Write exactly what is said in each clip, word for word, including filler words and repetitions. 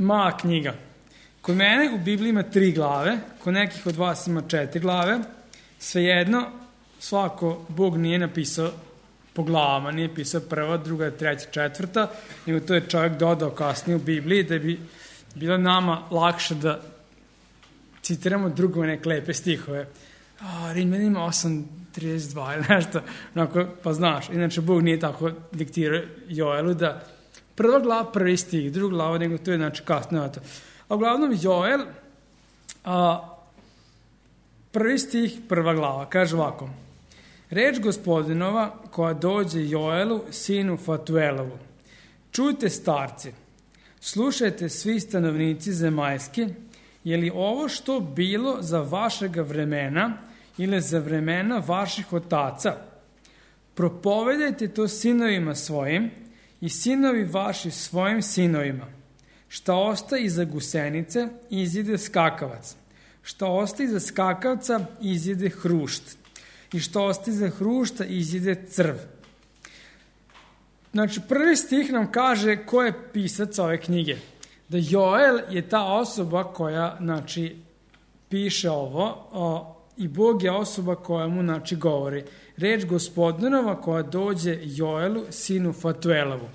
mala knjiga. Kod mene u Bibliji ima tri glave, kod nekih od vas ima četiri glave. Svejedno, svako Bog nije napisao po glavama, nije pisao prva, druga, treća, četvrta, nego to je čovjek dodao kasnije u Bibliji da bi bilo nama lakše da citiramo drugove neke lepe stihove. A, Rimljanima osam trideset dva ili nešto, onako, pa znaš. Inače, Bog nije tako diktirao Joelu da prva glava, prvi stih, druga glava, nego to je znači kasno na to. A uglavnom Joel, a, prvi stih, prva glava, kaže ovako. Reč Gospodinova koja dođe Joelu, sinu Fatuelovu. Čujte starci, slušajte svi stanovnici zemaljski, je li ovo što bilo za vašega vremena ili za vremena vaših otaca? Propovedajte to sinovima svojim i sinovi vaši svojim sinovima. Šta ostaje iza gusenice, izide skakavac. Šta ostaje iza skakavca, izide hrušt. I što ostaje iza hrušta, izide crv. Znači, prvi stih nam kaže ko je pisac ove knjige. Da Joel je ta osoba koja, znači, piše ovo o, i Bog je osoba koja mu, znači, govori. Reč Gospodinova koja dođe Joelu, sinu Fatuelovu.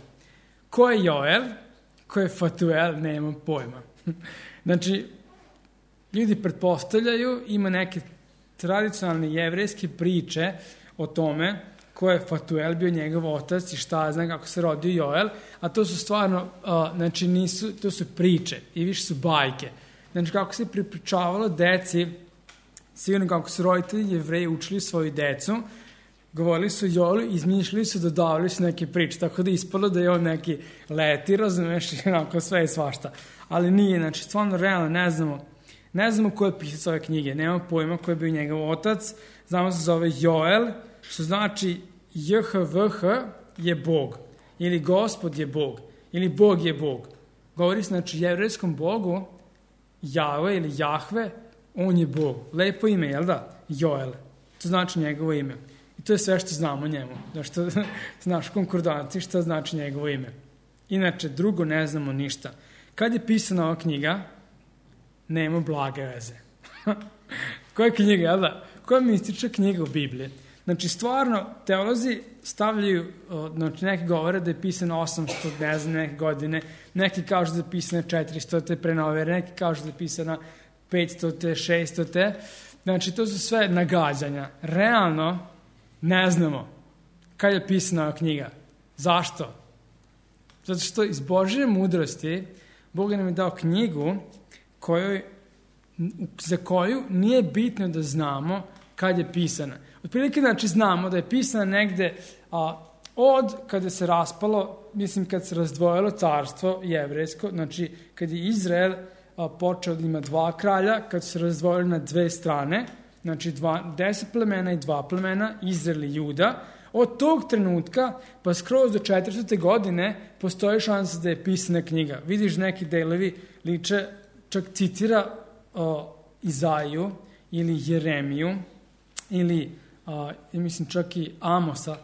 Ko je Joel? Ko je Fatuel? Nemam pojma. Znači, ljudi pretpostavljaju, ima neke tradicionalne jevrejske priče o tome ko je Fatuel bio njegov otac i šta zna kako se rodio Joel, a to su stvarno, uh, znači nisu, to su priče i više su bajke. Znači kako se pripričavalo deci, sigurno kako su roditelji Jevreji učili svoju decu, govorili su Joelu, izmišljali su, dodavali su neke priče, tako da ispalo da je on neki leti, razumeš, i onako sve i svašta. Ali nije, znači stvarno realno ne znamo, ne znamo ko je pisac ove knjige, nema pojma ko je bio njegov otac, znamo se zove Joel, što znači J H V H je Bog, ili Gospod je Bog, ili Bog je Bog. Govori se, znači, jevrejskom Bogu, Jahve ili Jahve, on je Bog. Lepo ime, jel da? Joel. To znači njegovo ime. I to je sve što znamo o njemu. Zašto znaš konkordanciji šta znači njegovo ime. Inače, drugo ne znamo ništa. Kad je pisana ova knjiga, nema blage veze. Koja knjiga, jel da? Koja mistična knjiga u Bibliji? Znači, stvarno, teolozi stavljaju, znači, neki govore da je pisano osamsto, ne znam, neke godine, neki kažu da je pisano četiristo pre nove ere, neki kažu da je pisano petsto, šesto. Znači, to su sve nagađanja. Realno, ne znamo kad je pisana ova knjiga. Zašto? Zato što iz Božje mudrosti Bog nam je dao knjigu kojoj, za koju nije bitno da znamo kad je pisana. Otprilike, znači, znamo da je pisana negde a, od kada se raspalo, mislim, kad se razdvojilo carstvo jevrejsko, znači, kad je Izrael a, počeo da ima dva kralja, kad se razdvojili na dve strane, znači, dva, deset plemena i dva plemena, Izrael i Juda, od tog trenutka, pa skroz do četiristote godine, postoji šansa da je pisana knjiga. Vidiš, neki delovi liče, čak citira a, Izaiju ili Jeremiju, ili, uh, mislim, čak i Amosa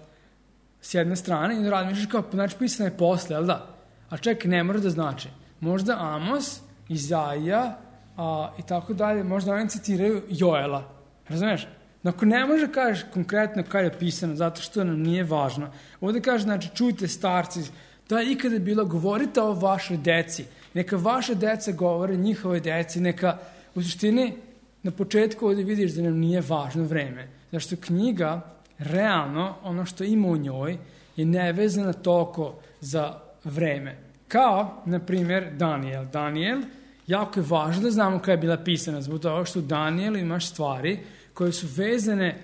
s jedne strane, i da razmišljaš kao, znači, pisano je posle, ali da? A čekaj, ne mora da znači. Možda Amos, Izaija uh, i tako dalje, možda oni citiraju Joela. Razumiješ? Dakle, ne može da kažeš konkretno kada je pisano, zato što nam nije važno. Ovdje kaže, znači, čujte starci, da je ikada bilo, govorite o vašoj deci. Neka vaša deca govore njihove deci, neka, u suštini, na početku ovdje vidiš da nam nije važno vreme. Zašto knjiga, realno, ono što ima u njoj, je nevezana toliko za vreme. Kao, na primjer, Daniel. Daniel, jako je važno da znamo kada je bila pisana, zbog toga što u Danielu imaš stvari koje su vezane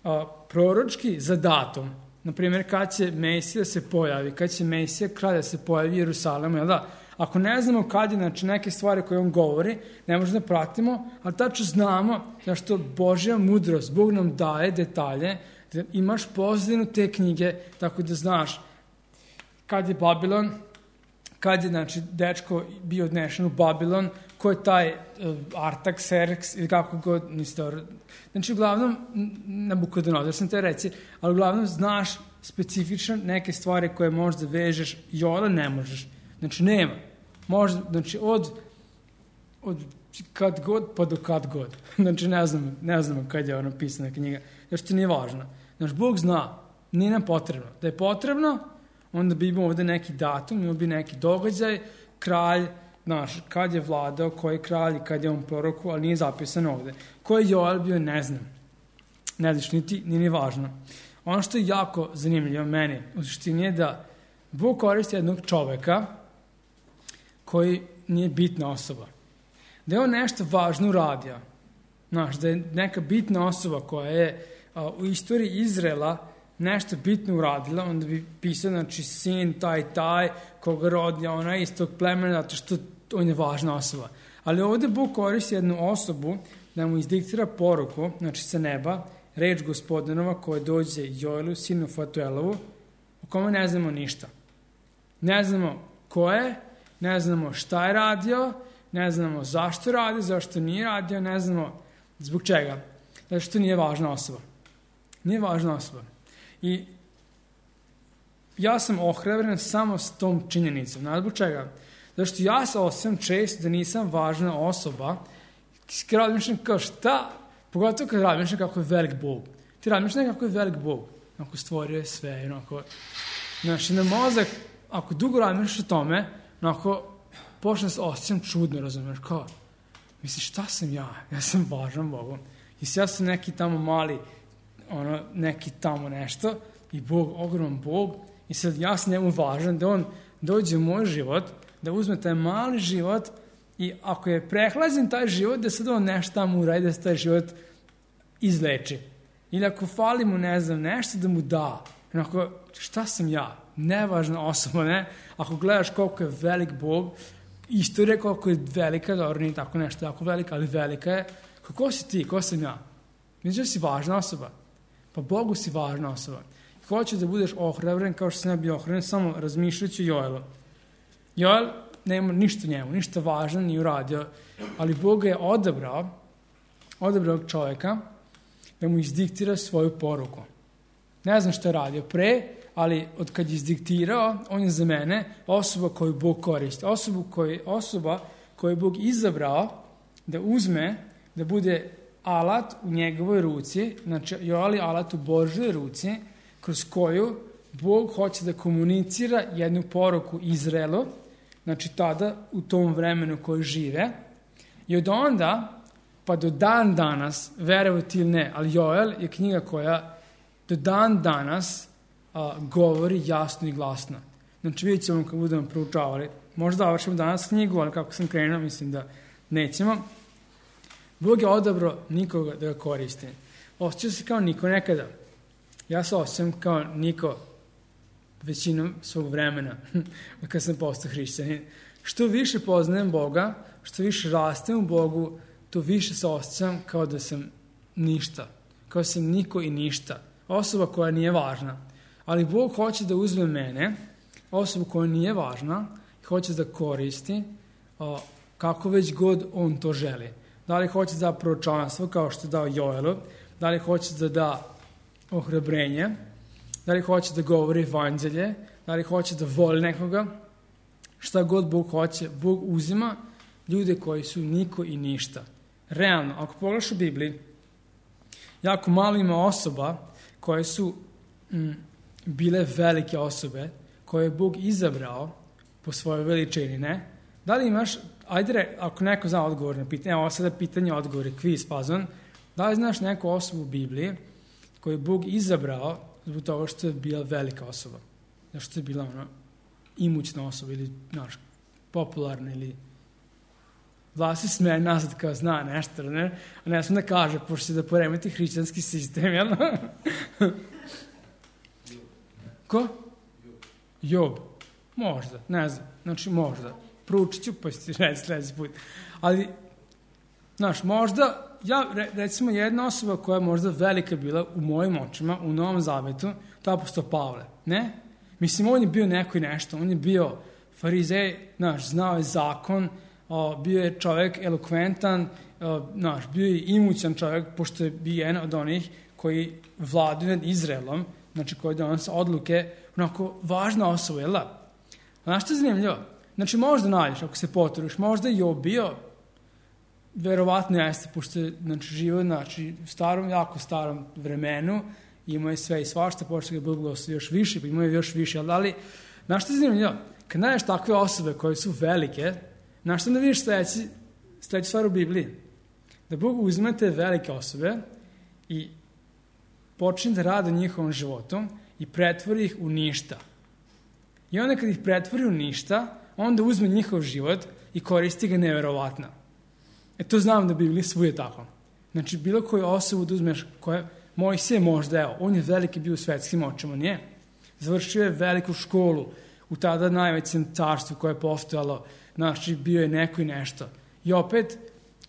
a, proročki za datum. Na primjer, kad će Mesija se pojavi, kad će Mesija kralj da se pojavi u Jerusalemu, jel da? Ako ne znamo kad je, znači, neke stvari koje on govori, ne možemo da pratimo, ali tačno znamo zašto Božja mudrost, Bog nam daje detalje, da imaš pozadinu te knjige, tako da znaš kad je Babilon, kad je, znači, dečko bio odnešen u Babilon, ko je taj uh, Artaxerxes ili kako god, niste... Znači, uglavnom, Nabukodonozor sam te reci, ali uglavnom znaš specifično neke stvari koje možeš da vežeš, Joela ne možeš. Znači, nema. Možda, znači, od, od kad god pa do kad god. Znači, ne znamo, ne znamo kad je ono pisana knjiga, jer što nije važno. Znači, Bog zna, nije nam potrebno. Da je potrebno, onda bi imao ovde neki datum, imao bi neki događaj, kralj, znaš, kad je vladao, koji je kralj, kad je on proroku, ali nije zapisano ovde. Ko je Joel bio, ne znam. Ne znaš, niti, nije ni važno. Ono što je jako zanimljivo meni, u suštini je da Bog koristi jednog čoveka koji nije bitna osoba. Da je on nešto važno uradio. Znaš, da je neka bitna osoba koja je a, u istoriji Izraela nešto bitno uradila, onda bi pisao, znači, sin taj, taj, koga rodio onaj iz tog plemena, zato što on je važna osoba. Ali ovde Bog koristi jednu osobu da mu izdiktira poruku, znači sa neba, reč Gospodinova koja dođe Joelu, sinu Fatuelovu, o kome ne znamo ništa. Ne znamo ko je, ne znamo šta je radio, ne znamo zašto radi, zašto nije radio, ne znamo zbog čega. Zato što nije važna osoba. Nije važna osoba. I ja sam ohrabren samo s tom činjenicom. Znaš zbog čega? Zato što ja se osjećam često da nisam važna osoba. Kad razmišljam kao šta, pogotovo kad razmišljam kako je velik Bog. Ti razmišljam kako je velik Bog. Ako stvorio je sve, onako. Znači, na mozak, ako dugo razmišljaš o tome, onako, počne se osjećam čudno, razumiješ, kao, misliš, šta sam ja? Ja sam važan Bogu. I ja sam neki tamo mali, ono, neki tamo nešto, i Bog, ogroman Bog, i sad ja sam njemu važan, da on dođe u moj život, da uzme taj mali život, i ako je prehlađen taj život, da sad on nešto tamo uradi, da se taj život izleči. Ili ako fali mu, ne znam, nešto da mu da. Onako, šta sam ja? Nevažna osoba, ne? Ako gledaš koliko je velik Bog, istorija koliko je velika, dobro, nije tako nešto jako velika, ali velika je. Ko si ti? Ko sam ja? Mislim da si važna osoba. Pa Bogu si važna osoba. Hoću da budeš ohrabren kao što sam ja bio ohrabren, samo razmišljajući Joelu. Joel nema ništa njemu, ništa važno nije uradio, ali Bog je odabrao, odabrao čovjeka da mu izdiktira svoju poruku. Ne znam što je radio pre, ali od kad je izdiktirao, on je za mene osoba koju Bog koristi. Osoba koju, osoba koju je Bog izabrao da uzme, da bude alat u njegovoj ruci, znači Joel je alat u Božoj ruci, kroz koju Bog hoće da komunicira jednu poruku Izraelu, znači tada u tom vremenu koji žive. I od onda, pa do dan danas, verovati ili ne, ali Joel je knjiga koja do dan danas a, govori jasno i glasno. Znači vidjet ćemo kad budemo proučavali. Možda završimo danas knjigu, ali kako sam krenuo, mislim da nećemo. Bog je odabrao nikoga da ga koristi. Osjećao se kao niko nekada. Ja se osjećam kao niko većinom svog vremena kad sam postao hrišćanin. Što više poznajem Boga, što više rastem u Bogu, to više se osjećam kao da sam ništa. Kao da sam niko i ništa. Osoba koja nije važna. Ali Bog hoće da uzme mene, osobu koja nije važna, i hoće da koristi o, kako već god on to želi. Da li hoće da da proročanstvo kao što je dao Joelu, da li hoće da da ohrabrenje, da li hoće da govori evanđelje, da li hoće da voli nekoga, šta god Bog hoće, Bog uzima ljude koji su niko i ništa. Realno, ako pogledaš u Bibliji, jako malo ima osoba koje su mm, bile velike osobe, koje je Bog izabrao po svojoj veličini, ne? Da li imaš, ajde, re, ako neko zna odgovor na pitanje, evo sada pitanje, odgovor je kviz, fazon, da li znaš neku osobu u Bibliji koju je Bog izabrao zbog toga što je bila velika osoba, što je bila ona imućna osoba ili, znaš, popularna ili Vlasi smeje nazad kao zna nešto, ne? A ne sam da kaže, pošto će da poremeti hrišćanski sistem, jel? Ko? Job. Možda, ne znam. Znači, možda. Proučit ću, pa ću reći sljedeći put. Ali, znaš, možda, ja, recimo, jedna osoba koja je možda velika bila u mojim očima, u Novom Zavetu, to je apostol Pavle, ne? Mislim, on je bio neko i nešto, on je bio farizej, znaš, znao je zakon, o, bio je čovjek elokventan, o, znaš, bio je imućan čovjek, pošto je bio jedan od onih koji vladaju nad Izraelom, znači koji donose odluke, onako važna osoba, jel da? Znaš što je zanimljivo? Znači, možda nađeš, ako se potrudiš, možda je Job bio, verovatno jeste, pošto je znači, živo znači, u starom, jako starom vremenu, imao je sve i svašta, pošto ga Bog blagoslovio još više, pa imao je još više, ali, ali znaš što je zanimljivo? Kad nađeš takve osobe koje su velike, znaš što da vidiš sledeći, sledeći stvar u Bibliji? Da Bog uzme te velike osobe i počne da rade njihovom životu i pretvori ih u ništa. I onda kad ih pretvori u ništa, onda uzme njihov život i koristi ga neverovatno. E to znam da Biblija svuje tako. Znači, bilo koju osobu da uzmeš, koja Mojsije možda, evo, on je veliki bio u svetskim očima, nije? Završio je veliku školu u tada najvećem carstvu koje je postojalo, znači, bio je neko i nešto. I opet,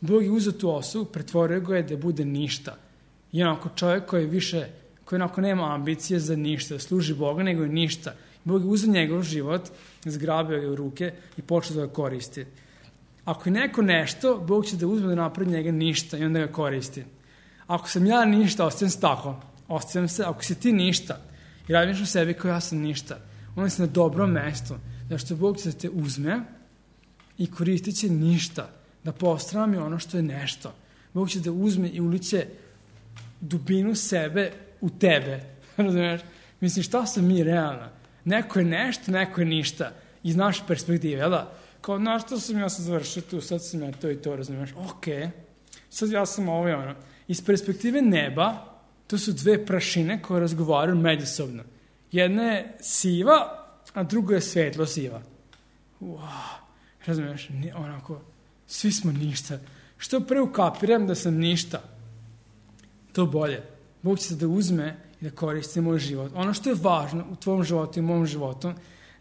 Bog je uzeo tu osobu, pretvorio ga je da bude ništa. I onako čovjek koji više, koji onako nema ambicije za ništa, da služi Boga, nego je ništa. Bog je uzeo njegov život, zgrabio ga u ruke i počeo da ga koristi. Ako je neko nešto, Bog će da uzme da napravi njega ništa i onda ga koristi. Ako sam ja ništa, ostajem se tako. Ostajem se, ako si ti ništa i radiš u sebi kao ja sam ništa, onda si na dobrom mestu. Zašto Bog će da te uzme i koristit će ništa, da postrami ono što je nešto. Bog će da uzme i uliće dubinu sebe u tebe. Razumiješ? Mislim, šta sam mi realno? Neko je nešto, neko je ništa. Iz naše perspektive, jel da? Kao, znaš, što sam ja sad završio tu, sad sam ja to i to, razumiješ? Okej, okay. Sad ja sam ovo i ono. Iz perspektive neba, to su dve prašine koje razgovaraju međusobno. Jedna je siva, a druga je svetlo siva. Wow, razumiješ? Onako, svi smo ništa. Što pre ukapiram da sam ništa, to bolje. Bog će se da uzme i da koristi moj život. Ono što je važno u tvojom životu i u mom životu,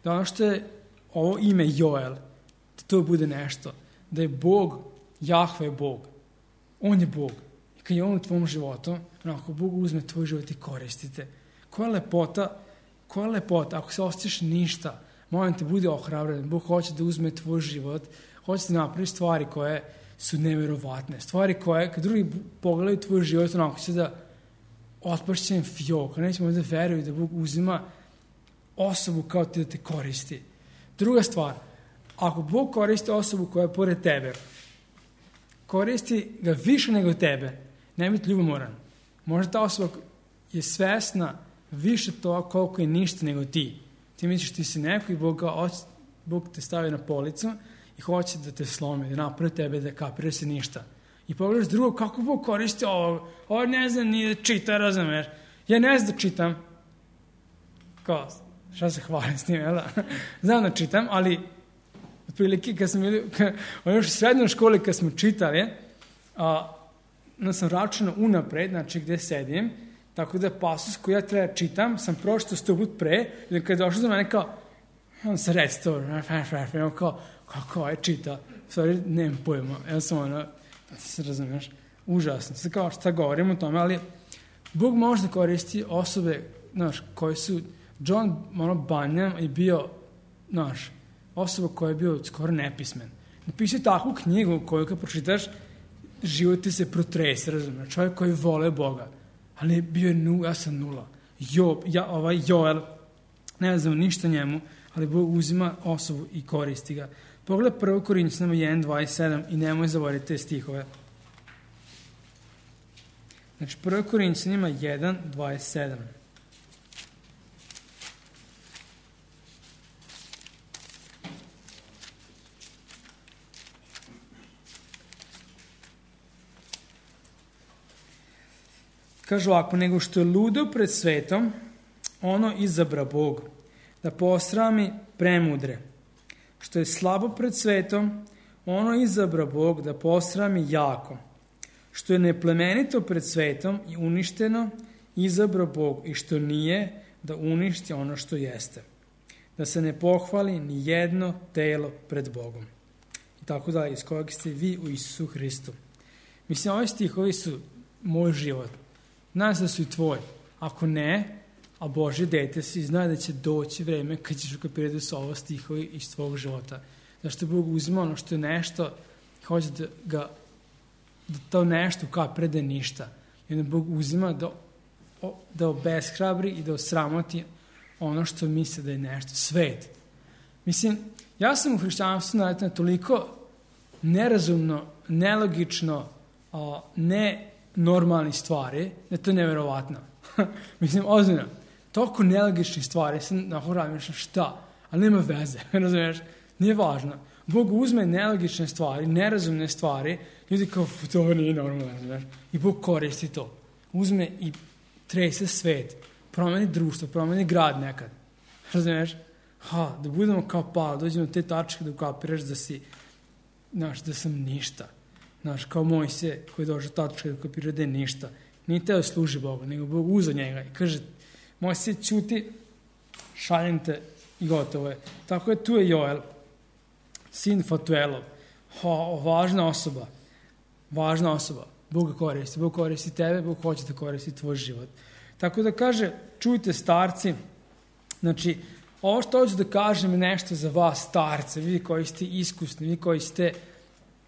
da ono što je ovo ime Joel, da to bude nešto. Da je Bog, Jahve je Bog. On je Bog. I kad je on u tvojom životu, onako, Bog uzme tvoj život i koristite. Koja lepota, koja lepota, ako se osjećaš ništa, molim te, budi ohrabren. Bog hoće da uzme tvoj život, hoće da napravi stvari koje su neverovatne. Stvari koje, kad drugi pogledaju tvoj život, onako će da otpašće im fjok, a nećemo da veruju da Bog uzima osobu kao ti da te koristi. Druga stvar, ako Bog koristi osobu koja je pored tebe, koristi ga više nego tebe, ne biti ljubomoran. Možda ta osoba je svesna više toga koliko je ništa nego ti. Ti misliš ti si neko i Bog, ga, Bog te stavi na policu i hoće da te slomi, da napravi tebe, da kapiraš se ništa. I pogledaš drugo, kako Bog koristi ovo? Ovo ne znam ni da čita, razumeš? Ja ne znam da čitam. Kao, šta se hvalim s tim, jel da? Znam da čitam, ali otprilike kad smo bili, još u srednjoj školi kad smo čitali, a, onda sam računao unapred, znači gde sedim, tako da pasus koji ja treba čitam, sam pročitao sto put pre, i kad je došao za mene kao, on se redstore, kao, kako je čita, stvari, nemam pojma, ja sam ono, ti se razumiješ, užasno, sad kao šta govorim o tome, ali Bog može da koristi osobe, znaš, koji su, John ono, Bunyan je bio, znaš, osoba koja je bio skoro nepismen. Napisao takvu knjigu koju kad pročitaš, život ti se protrese, razumiješ, čovjek koji vole Boga, ali bio je nu, ja sam nula. Job, ja, ovaj Joel, ne znam ništa njemu, ali Bog uzima osobu i koristi ga. Pogledaj prvo Korinćanima jedan dvadeset sedam i nemoj zaboraviti te stihove. Znači, prvo Korinćanima jedan dvadeset sedam. Kažu ovako, nego što je ludo pred svetom, ono izabra Bog, da posrami premudre. Što je slabo pred svetom, ono izabra Bog, da posrami jako. Što je neplemenito pred svetom i uništeno, izabra Bog, i što nije, da uništi ono što jeste. Da se ne pohvali ni jedno telo pred Bogom. I tako dalje, iz kojeg ste vi u Isusu Hristu. Mislim, ovi stihovi su moj život. Znam se da su i tvoji. Ako ne, a Božje dete si, zna da će doći vreme kad ćeš ukapirati da su ovo stihovi iz tvojeg života. Zašto Bog uzima ono što je nešto, hoće da ga, da to nešto ukapira da je ništa. I onda Bog uzima da, da obeshrabri i da osramoti ono što misle da je nešto. Svet. Mislim, ja sam u hrišćanstvu naletio na toliko nerazumno, nelogično, a, ne normalni stvari, da je to neverovatno. Mislim, ozbiljno, toliko nelogičnih stvari, sam na horadim, nešto šta, ali nema veze, razumiješ, nije važno. Bog uzme nelogične stvari, nerazumne stvari, ljudi kao, to nije normalno, razumiješ, i Bog koristi to. Uzme i trese svet, promeni društvo, promeni grad nekad, razumiješ, ha, da budemo kao Pavle, dođemo do te tačke da ukapiraš da si, znaš, da sam ništa. Znaš, kao Mojsije koji je došao tačka da ukapira da je ništa. Nije teo služi Bogu, nego Bog uzeo njega i kaže, Mojsije, ćuti, šaljem te i gotovo je. Tako je, tu je Joel, sin Fatuelov. Ha, važna osoba, važna osoba. Bog koristi, Bog koristi tebe, Bog hoće da koristi tvoj život. Tako da kaže, čujte starci, znači, ovo što hoću da kažem je nešto za vas starce, vi koji ste iskusni, vi koji ste,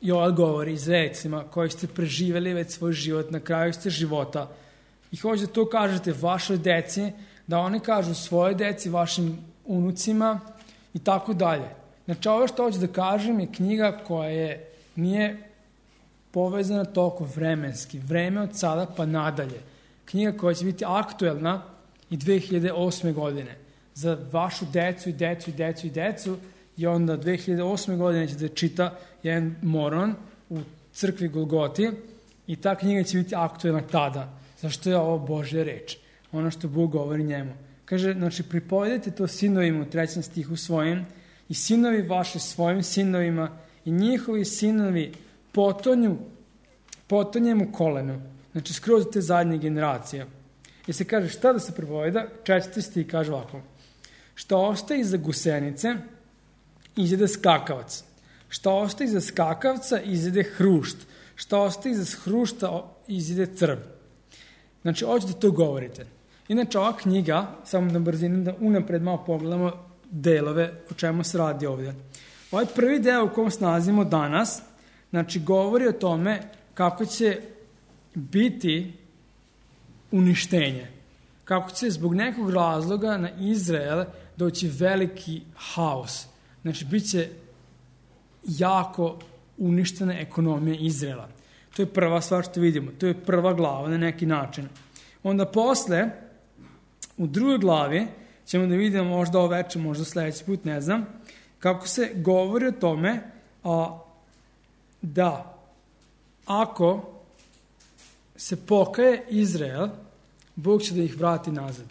Joel govori Izraelcima, koji ste preživjeli već svoj život, na kraju ste života i hoću da to kažete vašoj deci, da oni kažu svoje deci, vašim unucima i tako dalje. Znači ovo što hoću da kažem je knjiga koja je, nije povezana toliko vremenski, vreme od sada pa nadalje. Knjiga koja će biti aktuelna i dve hiljade osme godine. Za vašu decu i decu i decu i decu i onda dve hiljade osme godine će da čita jedan moron u crkvi Golgoti i ta knjiga će biti aktuelna tada. Zašto je ovo Božja reč? Ono što Bog govori njemu. Kaže, znači, pripovedajte to sinovima u trećem stihu svojim i sinovi vaše svojim sinovima i njihovi sinovi potonju, potonjem u kolenu. Znači, skroz te zadnje generacije. I se kaže, šta da se pripoveda? Četvrti stih kaže ovako. Šta ostaje iza gusenice, izjede skakavac. Šta ostaje iza skakavca, izjede hrušt. Šta ostaje iza hrušta, izjede crv. Znači, hoću da to govorite. Inače, ova knjiga, samo na brzinu da unapred malo pogledamo delove o čemu se radi ovdje. Ovaj prvi deo u kom se nalazimo danas, znači, govori o tome kako će biti uništenje. Kako će zbog nekog razloga na Izrael doći veliki haos. Znači, bit će jako uništena ekonomija Izraela. To je prva stvar što vidimo. To je prva glava na neki način. Onda posle, u drugoj glavi, ćemo da vidimo možda ovo večer, možda sledeći put, ne znam, kako se govori o tome a, da ako se pokaje Izrael, Bog će da ih vrati nazad.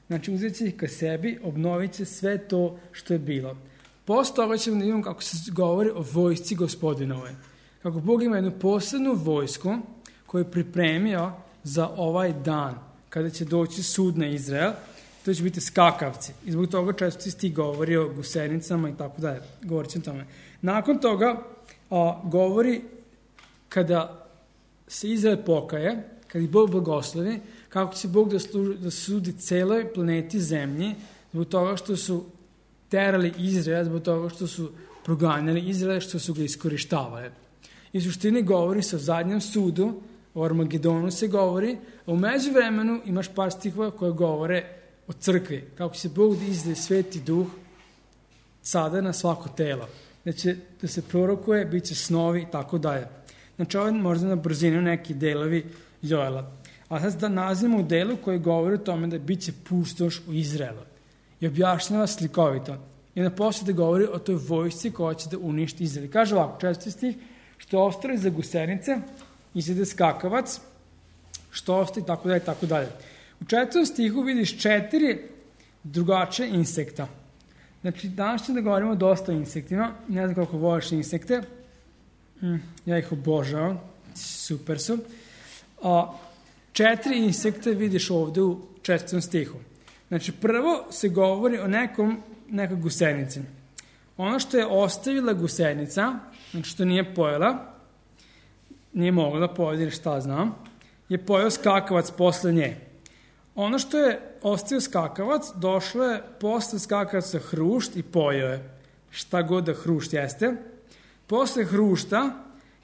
Znači, uzet će ih ka sebi, obnovit će sve to što je bilo. Posle toga ćemo da vidimo kako se govori o vojsci Gospodinove. Kako Bog ima jednu posebnu vojsku koju je pripremio za ovaj dan, kada će doći sud na Izrael, to će biti skakavci. I zbog toga često ti govori o gusenicama i tako dalje. Govorit ćemo tome. Nakon toga a, govori kada se Izrael pokaje, kada ih Bog blagoslovi, kako će Bog da, služi, da sudi celoj planeti zemlji zbog toga što su terali Izrael, zbog toga što su proganjali Izrael, što su ga iskorištavali. I suštini govori se o zadnjem sudu, o Armagedonu se govori, a u međuvremenu imaš par stihova koje govore o crkvi, kako će Bog da izdaje sveti duh sada na svako telo. Da će da se prorokuje, bit će snovi i tako dalje. Znači, ovo je možda na brzinu neki delovi Joela. A sad da nalazimo u delu koji govori o tome da bit će pustoš u Izraelu. I objašnjava slikovito. I na poslije da govori o toj vojsci koja će da uništi Izrael. Kaže ovako, četvrti stih, što ostaje za gusenice, izjede skakavac, što ostaje, tako dalje, tako dalje. U četvrtom stihu vidiš četiri drugačije insekta. Znači, danas ćemo da govorimo dosta o insektima. Ne znam koliko voliš insekte. Hm, ja ih obožavam. Super su. A, četiri insekte vidiš ovde u četvrtom stihu. Znači, prvo se govori o nekom, nekoj gusenici. Ono što je ostavila gusenica, znači što nije pojela, nije mogla da pojede, šta znam, je pojeo skakavac posle nje. Ono što je ostavio skakavac, došlo je posle skakavaca hrušt i pojeo je. Šta god da hrušt jeste. Posle hrušta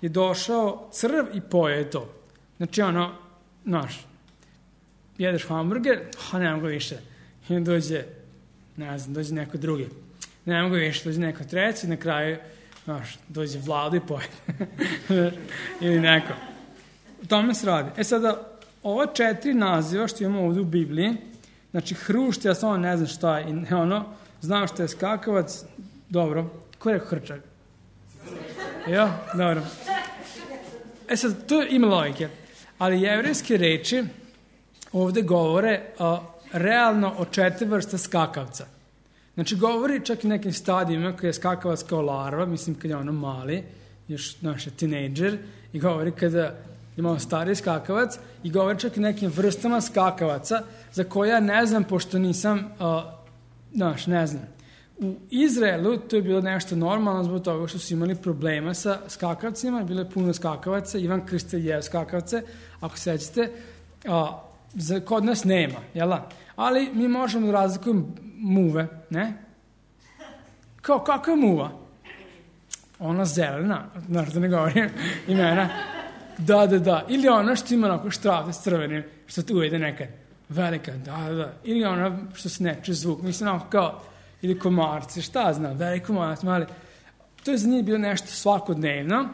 je došao crv i pojeo je to. Znači ono, znaš, jedeš hamburger, a nema ga više. I dođe, ne znam, dođe neko drugi. ne mogu više, dođe neko treći, na kraju, znaš, dođe Vlado i pojede. Ili neko. U tome se radi. E sada, ova četiri naziva što imamo ovdje u Bibliji, znači hrušt, ja samo ne znam šta je, i ono, znam što je skakavac, dobro, ko je rekao hrčak? Ja, dobro. E sad, to ima logike, ali jevrejske reči ovdje govore a, realno o četiri vrste skakavca. Znači, govori čak i nekim stadijima kada je skakavac kao larva, mislim kad je ono mali, još naš je tinejdžer, i govori kada imamo stariji skakavac, i govori čak i nekim vrstama skakavaca, za koje ja ne znam, pošto nisam, a, naš, ne znam. U Izraelu to je bilo nešto normalno zbog toga što su imali problema sa skakavcima, bilo je puno skakavaca, Ivan Krstitelj je skakavce, ako sećate, a, za, kod nas nema, jel da? Ali mi možemo da razlikujemo muve, ne? Kao, kako je muva? Ona zelena, znaš da ne govorim imena. Da, da, da. Ili ona što ima onako štravde s crvenim, što tu uvede nekad. Velika, da, da, da. Ili ona što se neče zvuk, mislim onako kao, ili komarci, šta znam, veliki komarci, mali. To je za njih bilo nešto svakodnevno,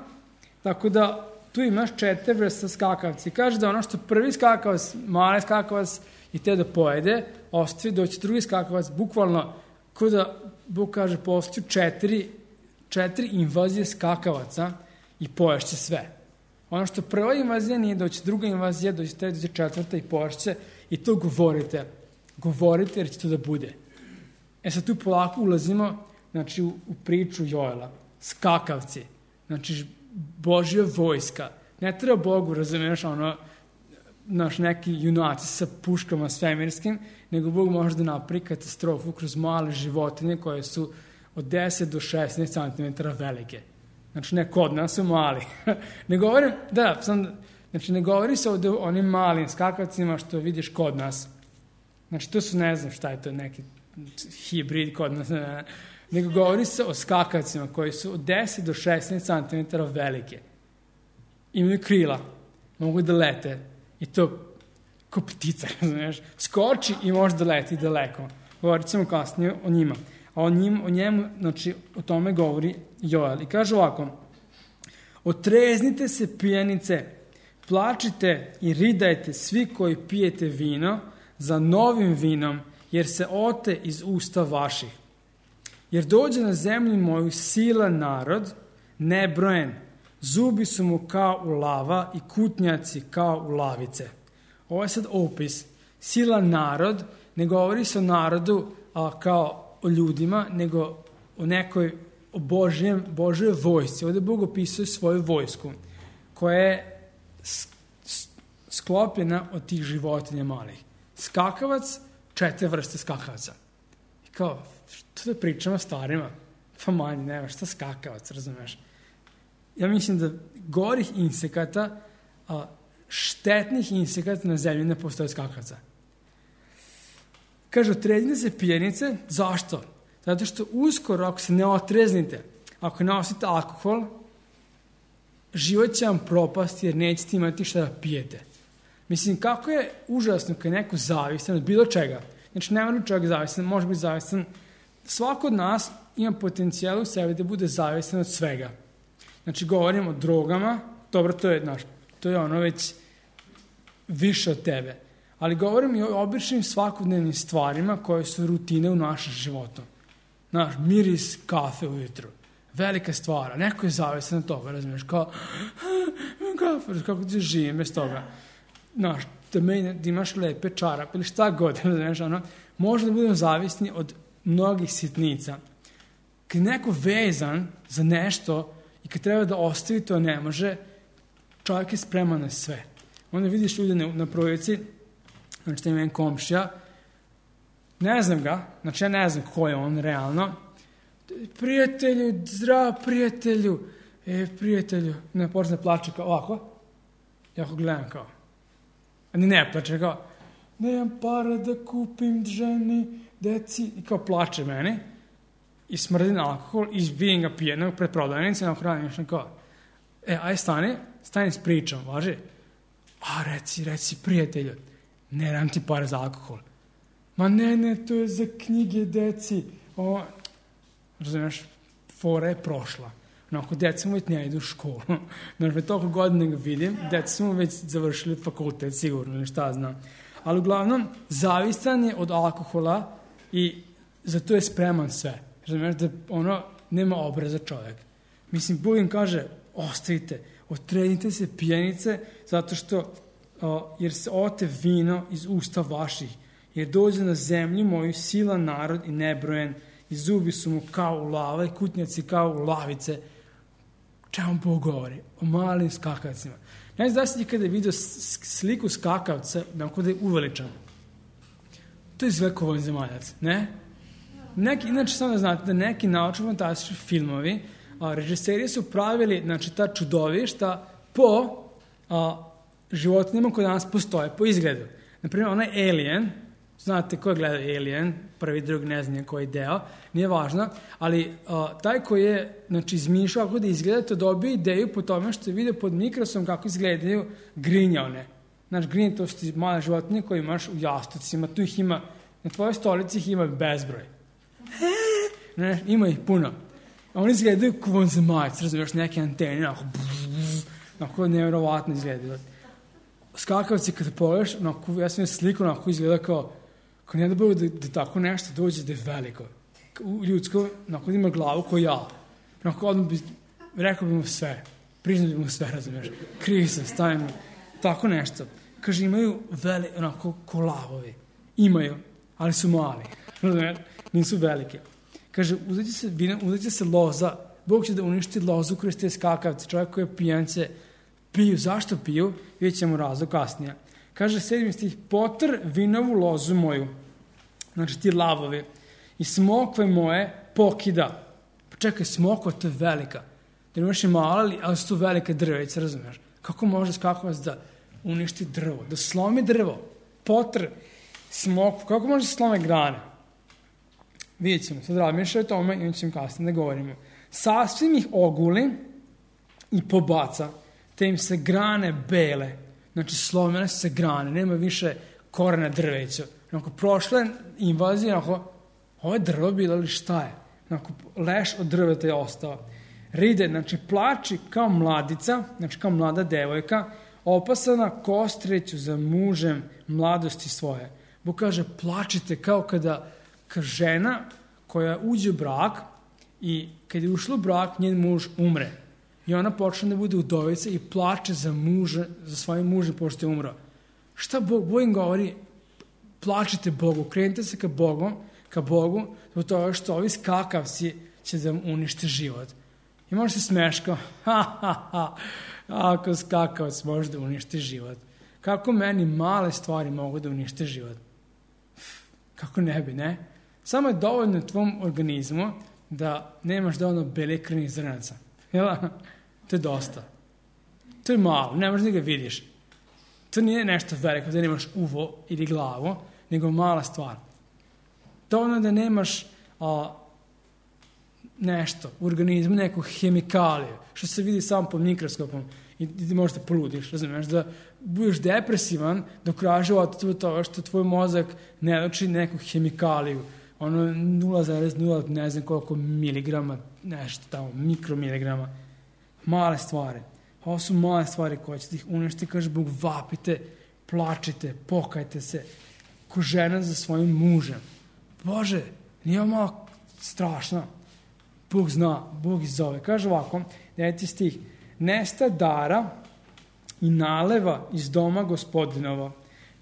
tako da tu imaš četiri vrsta skakavci. Kaže da ono što prvi skakavac, mali skakavac, i te da pojede, ostavi, doći drugi skakavac, bukvalno, ko da, Bog kaže, postaju četiri, četiri invazije skakavaca i poješće sve. Ono što prva invazija nije, doći druga invazija, doći te, doći četvrta i poješće, i to govorite. Govorite jer će to da bude. E sad tu polako ulazimo, znači, u, u priču Joela. Skakavci. Znači, Božja vojska. Ne treba Bogu, razumiješ, ono, naš neki junaci sa puškama svemirskim, nego Bog može da napravi katastrofu kroz male životinje koje su od deset do šesnaest centimetara velike. Znači, ne kod nas su mali. Ne govorim, da, sam, znači, ne govori se ovdje o onim malim skakavcima što vidiš kod nas. Znači, to su, ne znam šta je to, neki hibrid kod nas, ne, nego govori se o skakavcima koji su od deset do šesnaest centimetara velike. Imaju krila, mogu da lete, i to ko ptica, znaš, skoči i može da leti daleko. Govorit ćemo kasnije o njima. A o, njim, o njemu, znači, o tome govori Joel. I kaže ovako, otreznite se pijanice, plačite i ridajte svi koji pijete vino za novim vinom, jer se ote iz usta vaših. Jer dođe na zemlju moju silan narod, nebrojen, zubi su mu kao u lava i kutnjaci kao u lavice. Ovo je sad opis. Silan narod, ne govori se o narodu a, kao o ljudima, nego o nekoj o Božjem, Božjoj vojsci. Ovdje Bog opisuje svoju vojsku, koja je sklopljena od tih životinja malih. Skakavac, četiri vrste skakavca. I kao, što da pričamo starima? Pa manje, nema, šta skakavac, razumeš? Ja mislim da gorih insekata, a, štetnih insekata na zemlji ne postoje skakavca. Kaže, otreznite se pijanice. Zašto? Zato što uskoro, ako se ne otreznite, ako ne osjetite alkohol, život će vam propasti jer nećete imati šta da pijete. Mislim, kako je užasno kad je neko zavisan od bilo čega. Znači, ne mora čovjek zavisan, može biti zavisan. Svako od nas ima potencijal u sebi da bude zavisan od svega. Znači, govorim o drogama, dobro, to je, znaš, to je ono već više od tebe. Ali govorim i o običnim svakodnevnim stvarima koje su rutine u našem životu. Znaš, miris kafe ujutru. Velika stvara. Neko je zavisan od toga, razumiješ, kao kafe, kako ti živim bez toga. Znaš, da, me, da imaš lepe čarape ili šta god, razumiješ, ono, možda da budemo zavisni od mnogih sitnica. Kad je neko vezan za nešto i kad treba da ostavi to ne može, čovjek je spreman na sve. Onda vidiš ljude na, na projekciji, znači da ima jedan komšija, ne znam ga, znači ja ne znam ko je on realno, prijatelju, zdrav prijatelju, e, prijatelju, ne počne plače kao ovako, ja ho gledam kao, a ni ne plače kao, nemam para da kupim ženi, deci, i kao plače meni, i smrdi na alkohol, i vidim ga pijenog pred prodavnice, na hrani nešto kao, e, aj stani, stani s pričom, važi, a reci, reci prijatelju, ne dam ti pare za alkohol. Ma ne, ne, to je za knjige deci. O, razumiješ, fora je prošla. Onako, deca mu već ne idu u školu. Znači, toliko godina ga vidim, deca su mu već završili fakultet, sigurno, ili šta znam. Ali uglavnom, zavistan je od alkohola i zato je spreman sve. Razumiješ, da ono, nema obraza čovjek. Mislim, Bog im kaže, ostavite, otrenite se pijenice, zato što, o, jer se ote vino iz usta vaših, jer dođe na zemlju moju silan narod i nebrojen, i zubi su mu kao u lava i kutnjaci kao u lavice. Čemu Bog govori? O malim skakavcima. Ne znam da si ti kada je vidio sliku skakavca, nakon da je uveličan. To je Zveko Zemaljac, ne? Neki, inače, samo da znate da neki naučno-fantastični filmovi, a, režiseri su pravili, znači, ta čudovišta po a, životinjama koje danas postoje, po izgledu. Naprimjer, onaj Alien, znate ko je gledao Alien, prvi, drugi, ne znam koji deo, nije važno, ali a, taj koji je, znači, izmišljao kako da izgleda, to dobio ideju po tome što je vidio pod mikrosom kako izgledaju grinjone. Znači, grinje, to su ti male životinje koje imaš u jastucima, tu ih ima, na tvojoj stolici ih ima bezbroj. Ne, ima ih puno. A oni izgledaju kao vanzemaljci, razumiješ, neke antene, onako, onako nevjerovatno izgledaju. Skakavci, kada pogledaš, onako, ja sam je sliku, onako izgleda kao, kao ne da bilo da, da tako nešto dođe da je veliko. Ljudsko, onako, da ima glavu kao ja. Onako, odmah bi, rekao bi mu sve, priznao bi mu sve, razumiješ, krivi sam, stavim, tako nešto. Kaže, imaju veli, onako, ko lavovi. Imaju, ali su mali, razumiješ, nisu velike. Kaže, uzet će se, vina, uzet će se loza, Bog će da uništi lozu kroz te skakavce, čovjek koji je pijance, piju. Zašto piju? Vidjet ćemo razlog kasnije. Kaže, sedmi stih, potr vinovu lozu moju, znači ti lavovi, i smokve moje pokida. Pa čekaj, smokva, to je velika. Jer imaš i mala, ali su to velike drveće, razumiješ? Kako može skakavac da uništi drvo, da slomi drvo? Potr, smokvu, kako može da slome grane? Vidjet ćemo, sad razmišljaju o tome i on ćemo kasnije da govorimo. Sasvim ih oguli i pobaca, te im se grane bele, znači slomene se grane, nema više korena drveća. Onako, prošle invazije, onako, ovo je drvo bilo ili šta je? Onako, leš od drveta je ostao. Ride, znači, plači kao mladica, znači kao mlada devojka, opasana kostreću za mužem mladosti svoje. Bog kaže, plačite kao kada kao žena koja uđe u brak i kad je ušla u brak, njen muž umre. I ona počne da bude udovica i plače za muža, za svojim mužem pošto je umro. Šta Bog, Bog im govori? Plačite Bogu, krenite se ka Bogu, ka Bogu, zbog toga što ovi skakavci će da unište život. I može se smeška, ha, ha, ha, ako skakavac može da unište život. Kako meni male stvari mogu da unište život? Kako ne bi, ne? Samo je dovoljno tvom organizmu da nemaš dovoljno bele krvnih zrnaca. Jel? To je dosta. To je malo, ne možeš da ga vidiš. To nije nešto veliko da nemaš uvo ili glavu, nego mala stvar. Dovoljno da nemaš a, nešto u organizmu, neku hemikaliju, što se vidi samo pod mikroskopom i ti možeš da poludiš, razumiješ, da budeš depresivan dok kraja života od toga što tvoj mozak ne leči neku hemikaliju, ono nula zarez nula, ne znam koliko miligrama, nešto tamo, mikromiligrama, male stvari. Ovo su male stvari koje će ih uništiti, kaže Bog, vapite, plačite, pokajte se, ko žena za svojim mužem. Bože, nije ovo malo strašno. Bog zna, Bog izove. Kaže ovako, deveti stih, nesta dara i naleva iz doma gospodinova.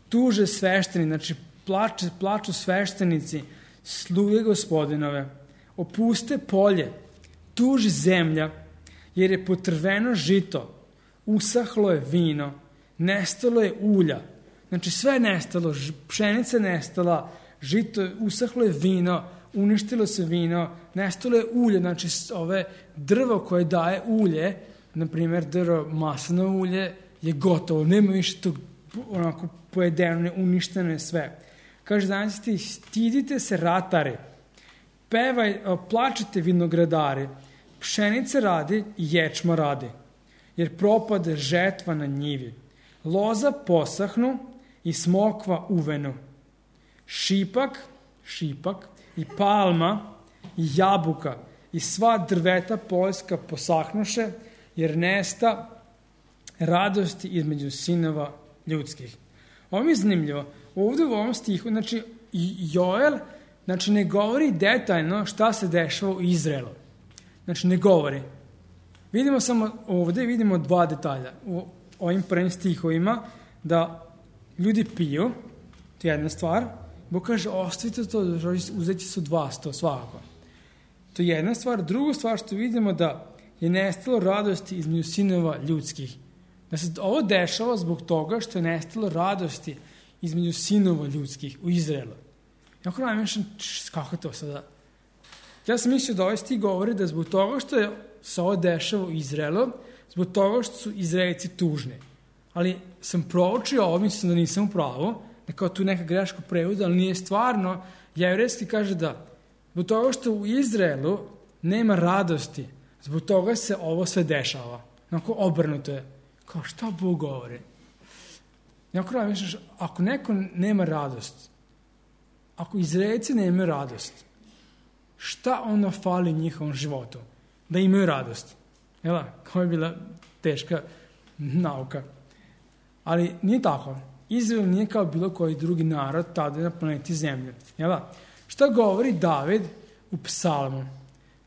Tuže svešteni, znači plače, plaču sveštenici, sluge gospodinove. Opuste polje, tuži zemlja, jer je potrveno žito, usahlo je vino, nestalo je ulja. Znači sve je nestalo, pšenica je nestala, žito, usahlo je vino, uništilo se vino, nestalo je ulje, znači ove drvo koje daje ulje, na primjer drvo maslinovo ulje, je gotovo, nema više tog onako pojedeno, uništeno je sve. Kaže, danas ti stidite se ratari, pevaj, plačite vinogradari, pšenice radi i ječma radi, jer propade žetva na njivi. Loza posahnu i smokva uvenu. Šipak, šipak i palma i jabuka i sva drveta poljska posahnuše, jer nesta radosti između sinova ljudskih. Ovo mi je zanimljivo. Ovdje u ovom stihu, znači, Joel, znači, ne govori detaljno šta se dešava u Izraelu. Znači, ne govori. Vidimo samo ovdje, vidimo dva detalja. U ovim prvim stihovima, da ljudi piju, to je jedna stvar. Bog kaže, ostavite to, uzeti su dva sto svakako. To je jedna stvar. Drugu stvar što vidimo da je nestalo radosti između sinova ljudskih. Da se ovo dešava zbog toga što je nestalo radosti između sinova ljudskih u Izraelu. Jako nam mišljam, kako je to sada? Ja sam mislio da ovaj stih govori da zbog toga što je se ovo dešava u Izraelu, zbog toga što su Izraelci tužni. Ali sam proučio ovo, mislim da nisam u pravu, da kao tu neka greška prevoda, ali nije stvarno. Jevrejski kaže da zbog toga što u Izraelu nema radosti, zbog toga se ovo sve dešava. Onako obrnuto je. Kao šta Bog govori? Jako nam misliš, ako neko nema radost, ako Izraelci nemaju radost, šta ono fali njihovom životu? Da imaju radost. Jel? Kao je bila teška nauka. Ali nije tako. Izrael nije kao bilo koji drugi narod tada na planeti Zemlje. Jel? Šta govori David u psalmu?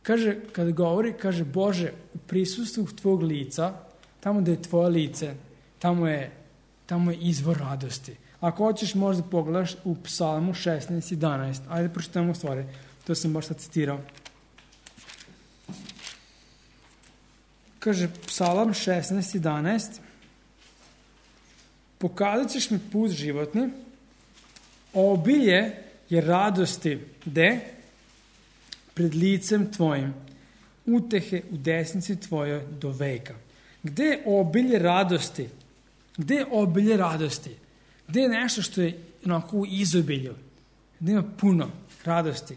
Kaže, kada govori, kaže, Bože, u prisustvu tvog lica, tamo da je tvoje lice, tamo je, tamo je izvor radosti. Ako hoćeš, možda pogledaš u psalmu šesnaest jedanaest. Ajde, pročitamo stvari. To sam baš sad citirao. Kaže, psalam šesnaest jedanaest. Pokazat ćeš mi put životni, obilje je radosti, gde? Pred licem tvojim, utehe u desnici tvojoj do veka. Gde je obilje radosti? Gde je obilje radosti? Gde je nešto što je onako u izobilju? Gde ima puno radosti?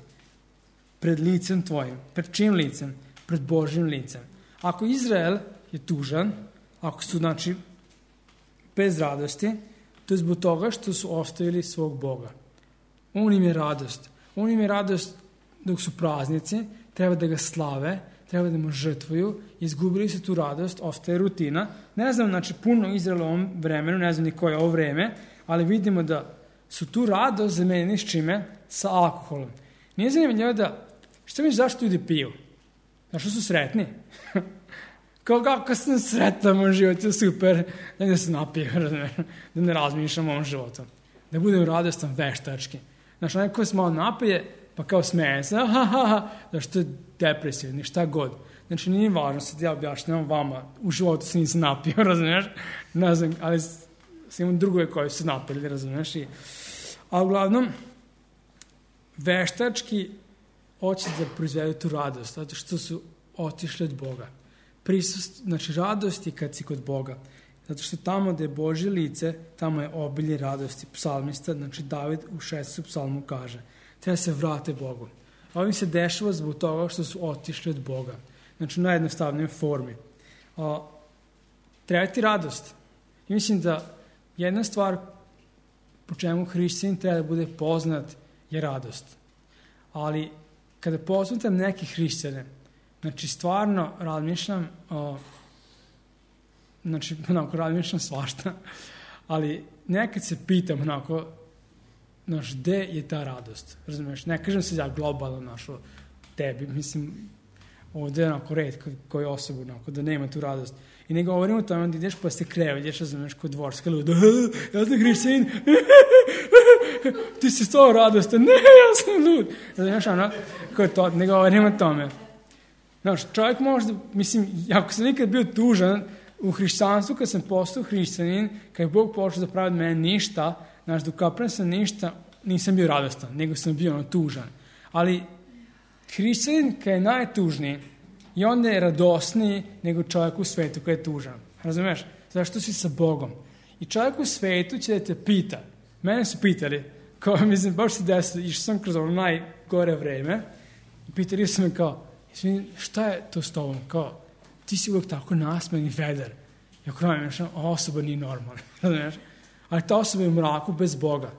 Pred licem tvojim. Pred čim licem? Pred Božjim licem. Ako Izrael je tužan, ako su, znači, bez radosti, to je zbog toga što su ostavili svog Boga. On im je radost. On im je radost dok su praznici, treba da ga slave, treba da mu žrtvuju, izgubili su tu radost, ostaje rutina. Ne znam, znači, puno Izraela u ovom vremenu, ne znam ni koje je ovo vreme, ali vidimo da su tu radost zamenili s čime? Sa alkoholom. Nije zanimljivo da, što mi zašto ljudi piju? Zašto su sretni? Kao kako sam sretan, moj život je super, da ne se napijem, da ne razmišljam o ovom životu. Da budem radostan veštački. Znači, onaj ko se malo napije, pa kao smeje se, ha, ha, ha, zašto je depresivni, šta god. Znači, nije važno, sad ja objašnjam vama, u životu se nisam napio, razumiješ? Ne znam, ali sam imam drugove koji su napili, razumiješ? I, a uglavnom, veštački hoće da proizvedu tu radost, zato što su otišli od Boga. Prisust, znači, radost je kad si kod Boga. Zato što tamo gde je Božje lice, tamo je obilje radosti. Psalmista, znači David u šestom psalmu kaže, treba se vrate Bogu. Ovim se dešava zbog toga što su otišli od Boga. Znači, u najjednostavnijoj formi. A, treba ti radost. I mislim da jedna stvar po čemu hrišćanin treba da bude poznat je radost. Ali kada posmatram neke hrišćane, znači stvarno razmišljam, o, znači onako razmišljam svašta, ali nekad se pitam onako, znaš, gde je ta radost? Razumiješ, ne kažem se ja globalno našo tebi, mislim, ovdje je onako red koji osobu, onako, da nema tu radost. I ne govorim o tome da ideš pa se krevelješ, razumiješ, kod dvorska luda, ja sam hrišćanin, ti si stvarno radostan, ne, ja sam lud. Razumiješ, ono, kod to, ne govorim o tome. Znaš, čovjek možda, mislim, ako sam nikad bio tužan u hrišćanstvu, kad sam postao hrišćanin, kad je Bog počeo da pravi od mene ništa, znaš, dok kaprem sam ništa, nisam bio radostan, nego sam bio ono tužan. Ali hrišćanin kad je najtužniji, i onda je radosniji nego čovjek u svetu koji je tužan. Razumiješ? Zašto si sa Bogom? I čovjek u svetu će da te pita. Mene su pitali, kao, mislim, baš se desilo, išao sam kroz ono najgore vreme, i pitali su me kao, šta je to s tobom? Kao, ti si uvijek tako nasmejan i vedar. I ako nam je, ova osoba nije normalna. Razumiješ? Ali ta osoba je u mraku bez Boga.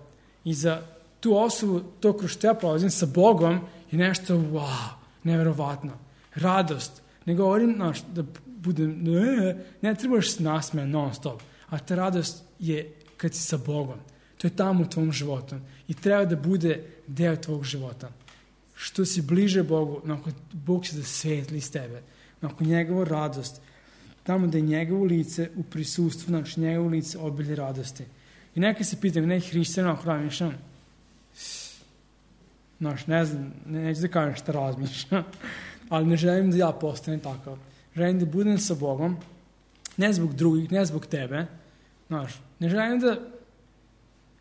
I za tu osobu, to kroz što ja prolazim sa Bogom, je nešto, wow, neverovatno. radost. Ne govorim, znaš, da budem, ne, ne trebaš se nasmejan non stop, a ta radost je kad si sa Bogom. To je tamo u tvom životu i treba da bude deo tvog života. Što si bliže Bogu, nakon Bog će da svetli iz tebe, nakon njegovu radost, tamo da je njegovo lice u prisustvu, znači njegovo lice obilje radosti. I neka se pitam, neki hrišćana ako razmišljam, znaš, ne znam, ne, neću da kažem šta razmišljam, ali ne želim da ja postanem takav. Želim da budem sa Bogom, ne zbog drugih, ne zbog tebe, znaš, ne želim da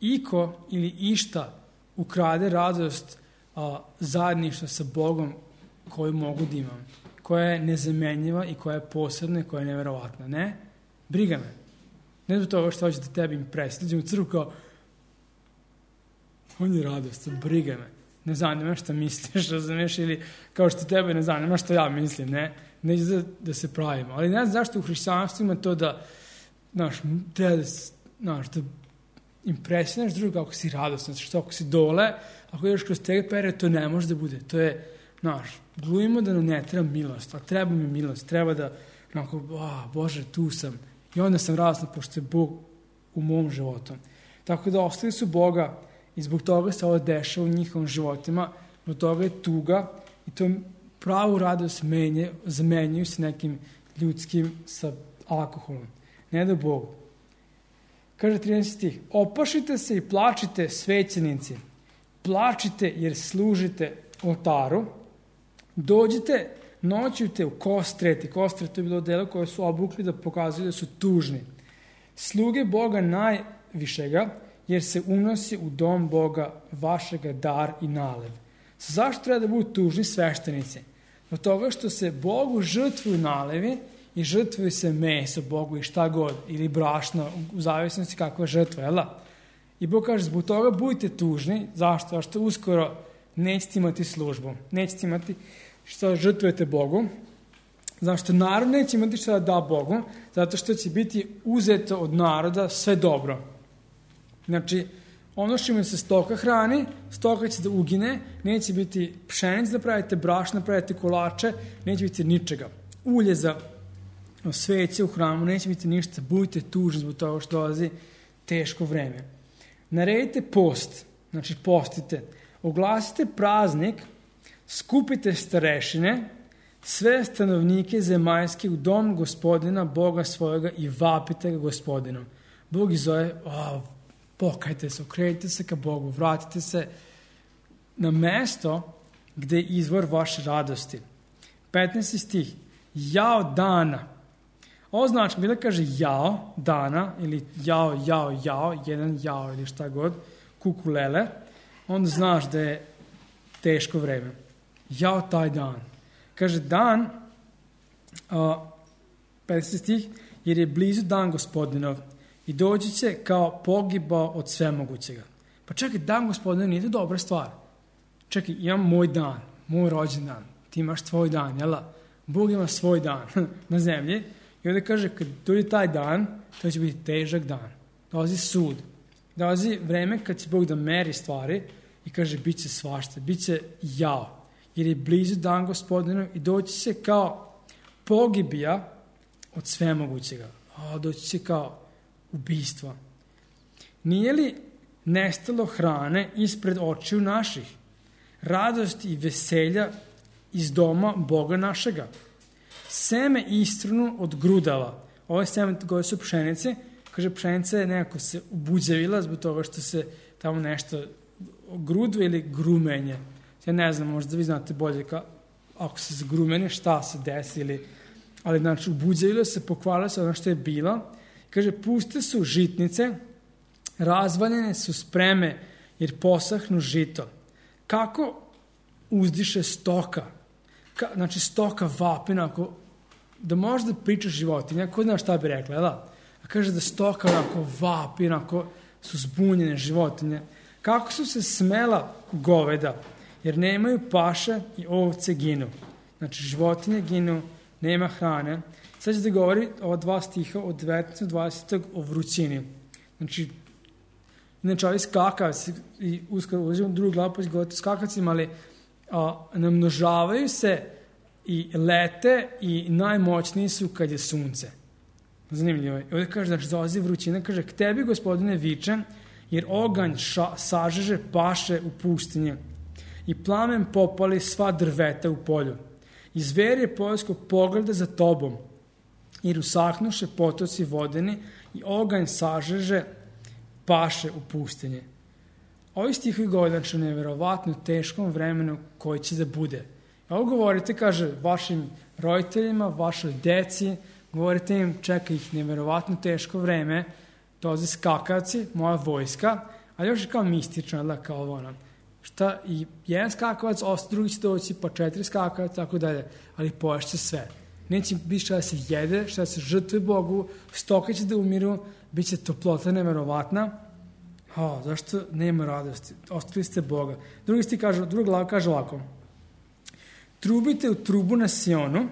iko ili išta ukrade radost a, zajedništva sa Bogom koju mogu da imam, koja je nezamenjiva i koja je posebna i koja je neverovatna. Ne, briga me. Ne zbog toga što hoće da tebi impresiti. Dođem u crkvu kao, on je radost, briga me. Ne zanima šta misliš, razumiješ, ili kao što tebe ne zanima što ja mislim, ne. Neće da, da se pravimo. Ali ne znam zašto u hrišćanstvu ima to da, znaš, treba da, znaš, da impresionaš druga ako si radostan, što ako si dole, ako ideš kroz tega period, to ne može da bude. To je, znaš, glumimo da nam ne treba milost, a treba mi milost, treba da, onako, a, Bože, tu sam. I onda sam radostan, pošto je Bog u mom životu. Tako da ostali su Boga i zbog toga se ovo dešava u njihovim životima, zbog toga je tuga i to pravu radost menje, zamenjuju se nekim ljudskim sa alkoholom. Ne da Bogu. Kaže trinaesti stih, opašite se i plačite svećenici, plačite jer služite oltaru, dođite, noćujte u kostreti, kostret to je bilo delo koje su obukli da pokazuju da su tužni. Sluge Boga najvišega, jer se unosi u dom Boga vašega dar i nalev. Zašto treba da budu tužni sveštenici? Od toga što se Bogu žrtvuju nalevi i žrtvuju se meso Bogu i šta god, ili brašno, u zavisnosti kakva je žrtva, jel da? I Bog kaže, zbog toga budite tužni. Zašto? Zašto uskoro nećete imati službu, nećete imati što žrtvujete Bogu. Zašto narod neće imati što da da Bogu? Zato što će biti uzeto od naroda sve dobro. Znači, ono što se stoka hrani, stoka će da ugine, neće biti pšenic da pravite, brašna da pravite, kolače, neće biti ničega. Ulje za sveće u hramu, neće biti ništa, budite tužni zbog toga što dolazi teško vreme. Naredite post, znači postite, oglasite praznik, skupite starešine, sve stanovnike zemaljske u dom Gospodina, Boga svojega i vapite ga Gospodinu. Bog ih zove, o, pokajte se, okrenite se ka Bogu, vratite se na mesto gde je izvor vaše radosti. petnaesti stih, jao dana. Ovo znači, bila kaže jao dana, ili jao, jao, jao, jedan jao ili šta god, kukulele, onda znaš da je teško vreme. Jao taj dan. Kaže dan, uh, petnaesti stih, jer je blizu dan Gospodinov i doći će kao pogibao od svemogućega. Pa čekaj, dan Gospodinov nije to dobra stvar. Čekaj, imam moj dan, moj rođendan, ti imaš tvoj dan, jel da? Bog ima svoj dan na zemlji i onda kaže, kad dođe taj dan, to će biti težak dan. Dolazi sud. Dolazi vreme kad će Bog da meri stvari i kaže, bit će svašta, bit će jao. Jer je blizu dan Gospodinov i doći će kao pogibija od svemogućega. A, doći će kao ubistva. Nije li nestalo hrane ispred očiju naših? Radosti i veselja iz doma Boga našega. Seme istrunu od grudava. Ovo je seme koje su pšenice. Kaže, pšenica je nekako se ubuđevila zbog toga što se tamo nešto grudve ili grumenje. Ja ne znam, možda vi znate bolje ka, ako se zgrumene, šta se desi, ili, ali znači ubuđevilo se, pokvarilo se ono što je bilo. Kaže, puste su žitnice, razvaljene su spreme, jer posahnu žito. Kako uzdiše stoka? Ka, znači stoka vapina, ako, da možda pričaš životinja, ko zna šta bi rekla, da? A kaže da stoka onako vapi, onako su zbunjene životinje. Kako su se smela goveda, jer nemaju paše i ovce ginu. Znači, životinje ginu, nema hrane. Sad će da govori ova dva stiha od devetnaestog do dvadesetog o vrućini. Znači, znači ovi skakavci, i uskoro ulazimo u drugu glavu, pa će govoriti o skakavcima, ali a, namnožavaju se i lete i najmoćniji su kad je sunce. Zanimljivo je. Ovdje kaže, znači dolazi vrućina, kaže, k tebi, gospodine, vičem, jer oganj ša, sažeže paše u pustinji i plamen popali sva drveta u polju. I zver je poljsko pogleda za tobom, jer usahnuše potoci vodeni i oganj sažeže paše u pustinji. Ovi stihovi govore, znači, o neverovatno teškom vremenu koji će da bude. Ovo govorite, kaže, vašim roditeljima, vašoj deci, govorite im, čeka ih neverovatno teško vreme, dolaze skakavci, moja vojska, ali još je kao mistično, da, kao ono, šta i jedan skakavac, osta drugi će doći, pa četiri skakavac, tako dalje, ali poješće sve. Neće biti šta da se jede, šta da se žrtve Bogu, stoke će da umiru, bit će toplota neverovatna. O, zašto nema radosti? Ostali ste Boga. Drugi stih kaže, druga glava kaže ovako. Trubite u trubu na Sionu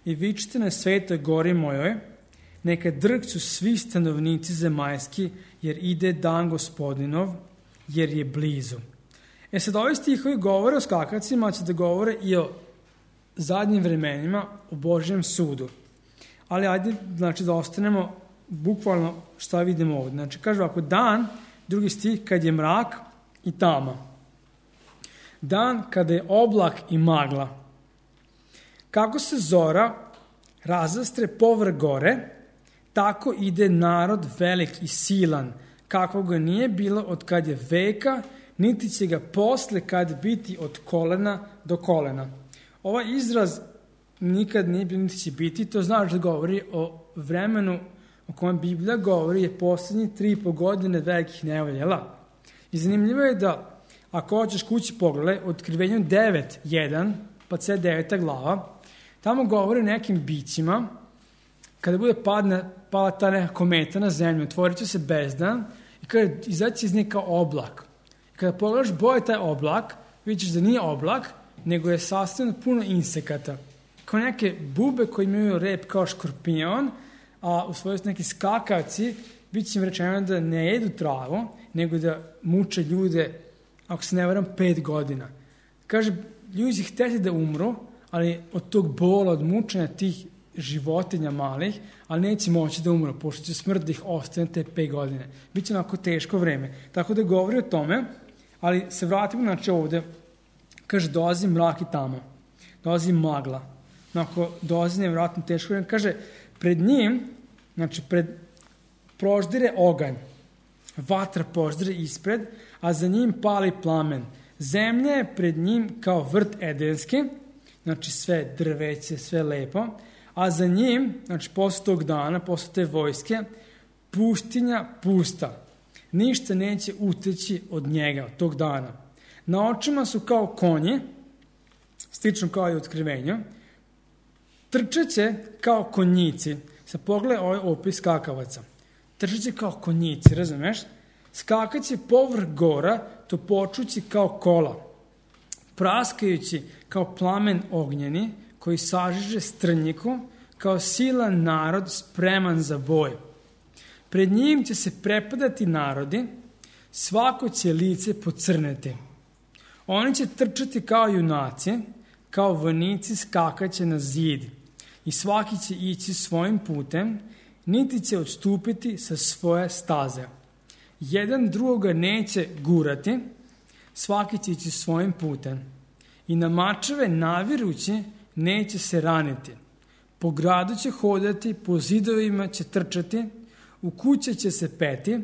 i vičite na svetoj gori mojoj, neka drkću svi stanovnici zemaljski, jer ide dan Gospodinov, jer je blizu. E sad, ovi stihovi govore o skakacima, će da govore i o zadnjim vremenima, o Božjem sudu. Ali ajde, znači, da ostanemo bukvalno šta vidimo ovdje. Znači, kaže ovako, dan, drugi stih, kad je mrak i tama. Dan kada je oblak i magla. Kako se zora razastre povrh gore, tako ide narod velik i silan, kako ga nije bilo od kad je veka, niti će ga posle kad biti od kolena do kolena. Ovaj izraz nikad nije bilo, niti će biti, to znači da govori o vremenu o kojem Biblija govori je posljednjih tri i po godine velikih nevoljela. I zanimljivo je da ako hoćeš kući pogledaj, u Otkrivenju devet jedan, pa sve deveta glava, tamo govori o nekim bićima, kada bude padna, pala ta neka kometa na zemlju, otvorit će se bezdan i kada izaći iz neka oblak. I kada pogledaš boje taj oblak, vidiš da nije oblak, nego je sastavljeno puno insekata. Kao neke bube koji imaju rep kao škorpion, a u svojoj neki skakavci, bit će im rečeno da ne jedu travu, nego da muče ljude, ako se ne varam, pet godina. Kaže, ljudi će htjeti da umru, ali od tog bola, od mučenja tih životinja malih, ali neće moći da umru, pošto će smrt da ih ostane te pet godine. Biće onako teško vreme. Tako da govori o tome, ali se vratimo, znači ovdje, kaže, dolazi mrak i tamo, dolazi magla, onako, dolazi nevjerojatno teško vreme, kaže, pred njim, znači, pred proždire oganj, vatra poždire ispred, a za njim pali plamen. Zemlja je pred njim kao vrt edenski, znači sve drveće, sve lepo, a za njim, znači posle tog dana, posle te vojske, pustinja pusta. Ništa neće uteći od njega, od tog dana. Na očima su kao konji, slično kao i u Otkrivenju, trčeće kao konjici. Sad pogledaj ovaj opis skakavaca. Trčeće kao konjici, razumeš? Skakaće povrh gora, to počući kao kola, praskajući kao plamen ognjeni, koji sažiže strnjiku, kao silan narod spreman za boj. Pred njim će se prepadati narodi, svako će lice pocrneti. Oni će trčati kao junaci, kao vojnici skakaće na zid i svaki će ići svojim putem, niti će odstupiti sa svoje staze. Jedan drugoga neće gurati, svaki će ići svojim putem. I na mačeve navirući neće se raniti. Po gradu će hodati, po zidovima će trčati, u kuće će se peti,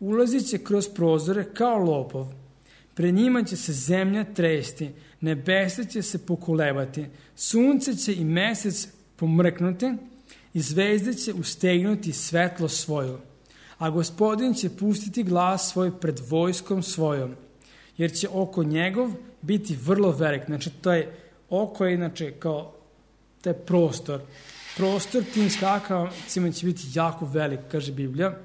ulazit će kroz prozore kao lopov. Pred njima će se zemlja tresti, nebesa će se pokolebati, sunce će i mesec pomrknuti i zvezde će ustegnuti svetlo svoju. A Gospodin će pustiti glas svoj pred vojskom svojom, jer će oko njegov biti vrlo velik. Znači, to je oko je, znači, kao taj prostor. Prostor tim skakavcima će biti jako velik, kaže Biblija,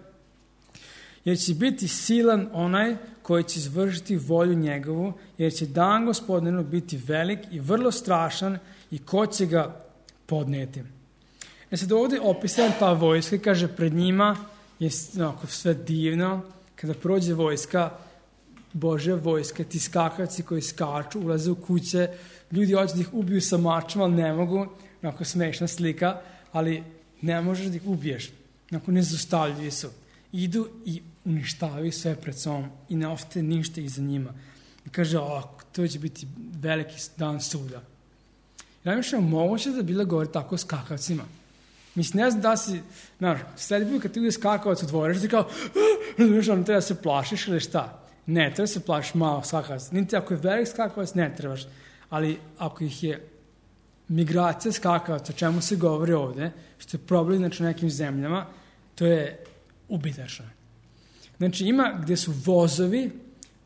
jer će biti silan onaj koji će izvršiti volju njegovu, jer će dan Gospodinu biti velik i vrlo strašan i ko će ga podneti. E sad ovdje opisan ta vojska, kaže, pred njima je onako sve divno, kada prođe vojska, Božja vojska, ti skakavci koji skaču, ulaze u kuće, ljudi hoće da ih ubiju sa mačom, ali ne mogu, onako smešna slika, ali ne možeš da ih ubiješ, onako nezaustavljivi su. Idu i uništavaju sve pred sobom i ne ostaje ništa iza njima. I kaže, o, to će biti veliki dan suda. I najviše moguće da bila govori tako o skakavcima. Mislim, ne znam da si, znaš, sledi bio kad ti ide skakavac u dvorište, ti kao, znaš, ono, treba da se plašiš ili šta? Ne, treba da se plašiš malo skakavac. Niti ako je velik skakavac, ne trebaš. Ali ako ih je migracija skakavaca, o čemu se govori ovde, što je problem, znači, u nekim zemljama, to je ubitačno. Znači, ima gde su vozovi,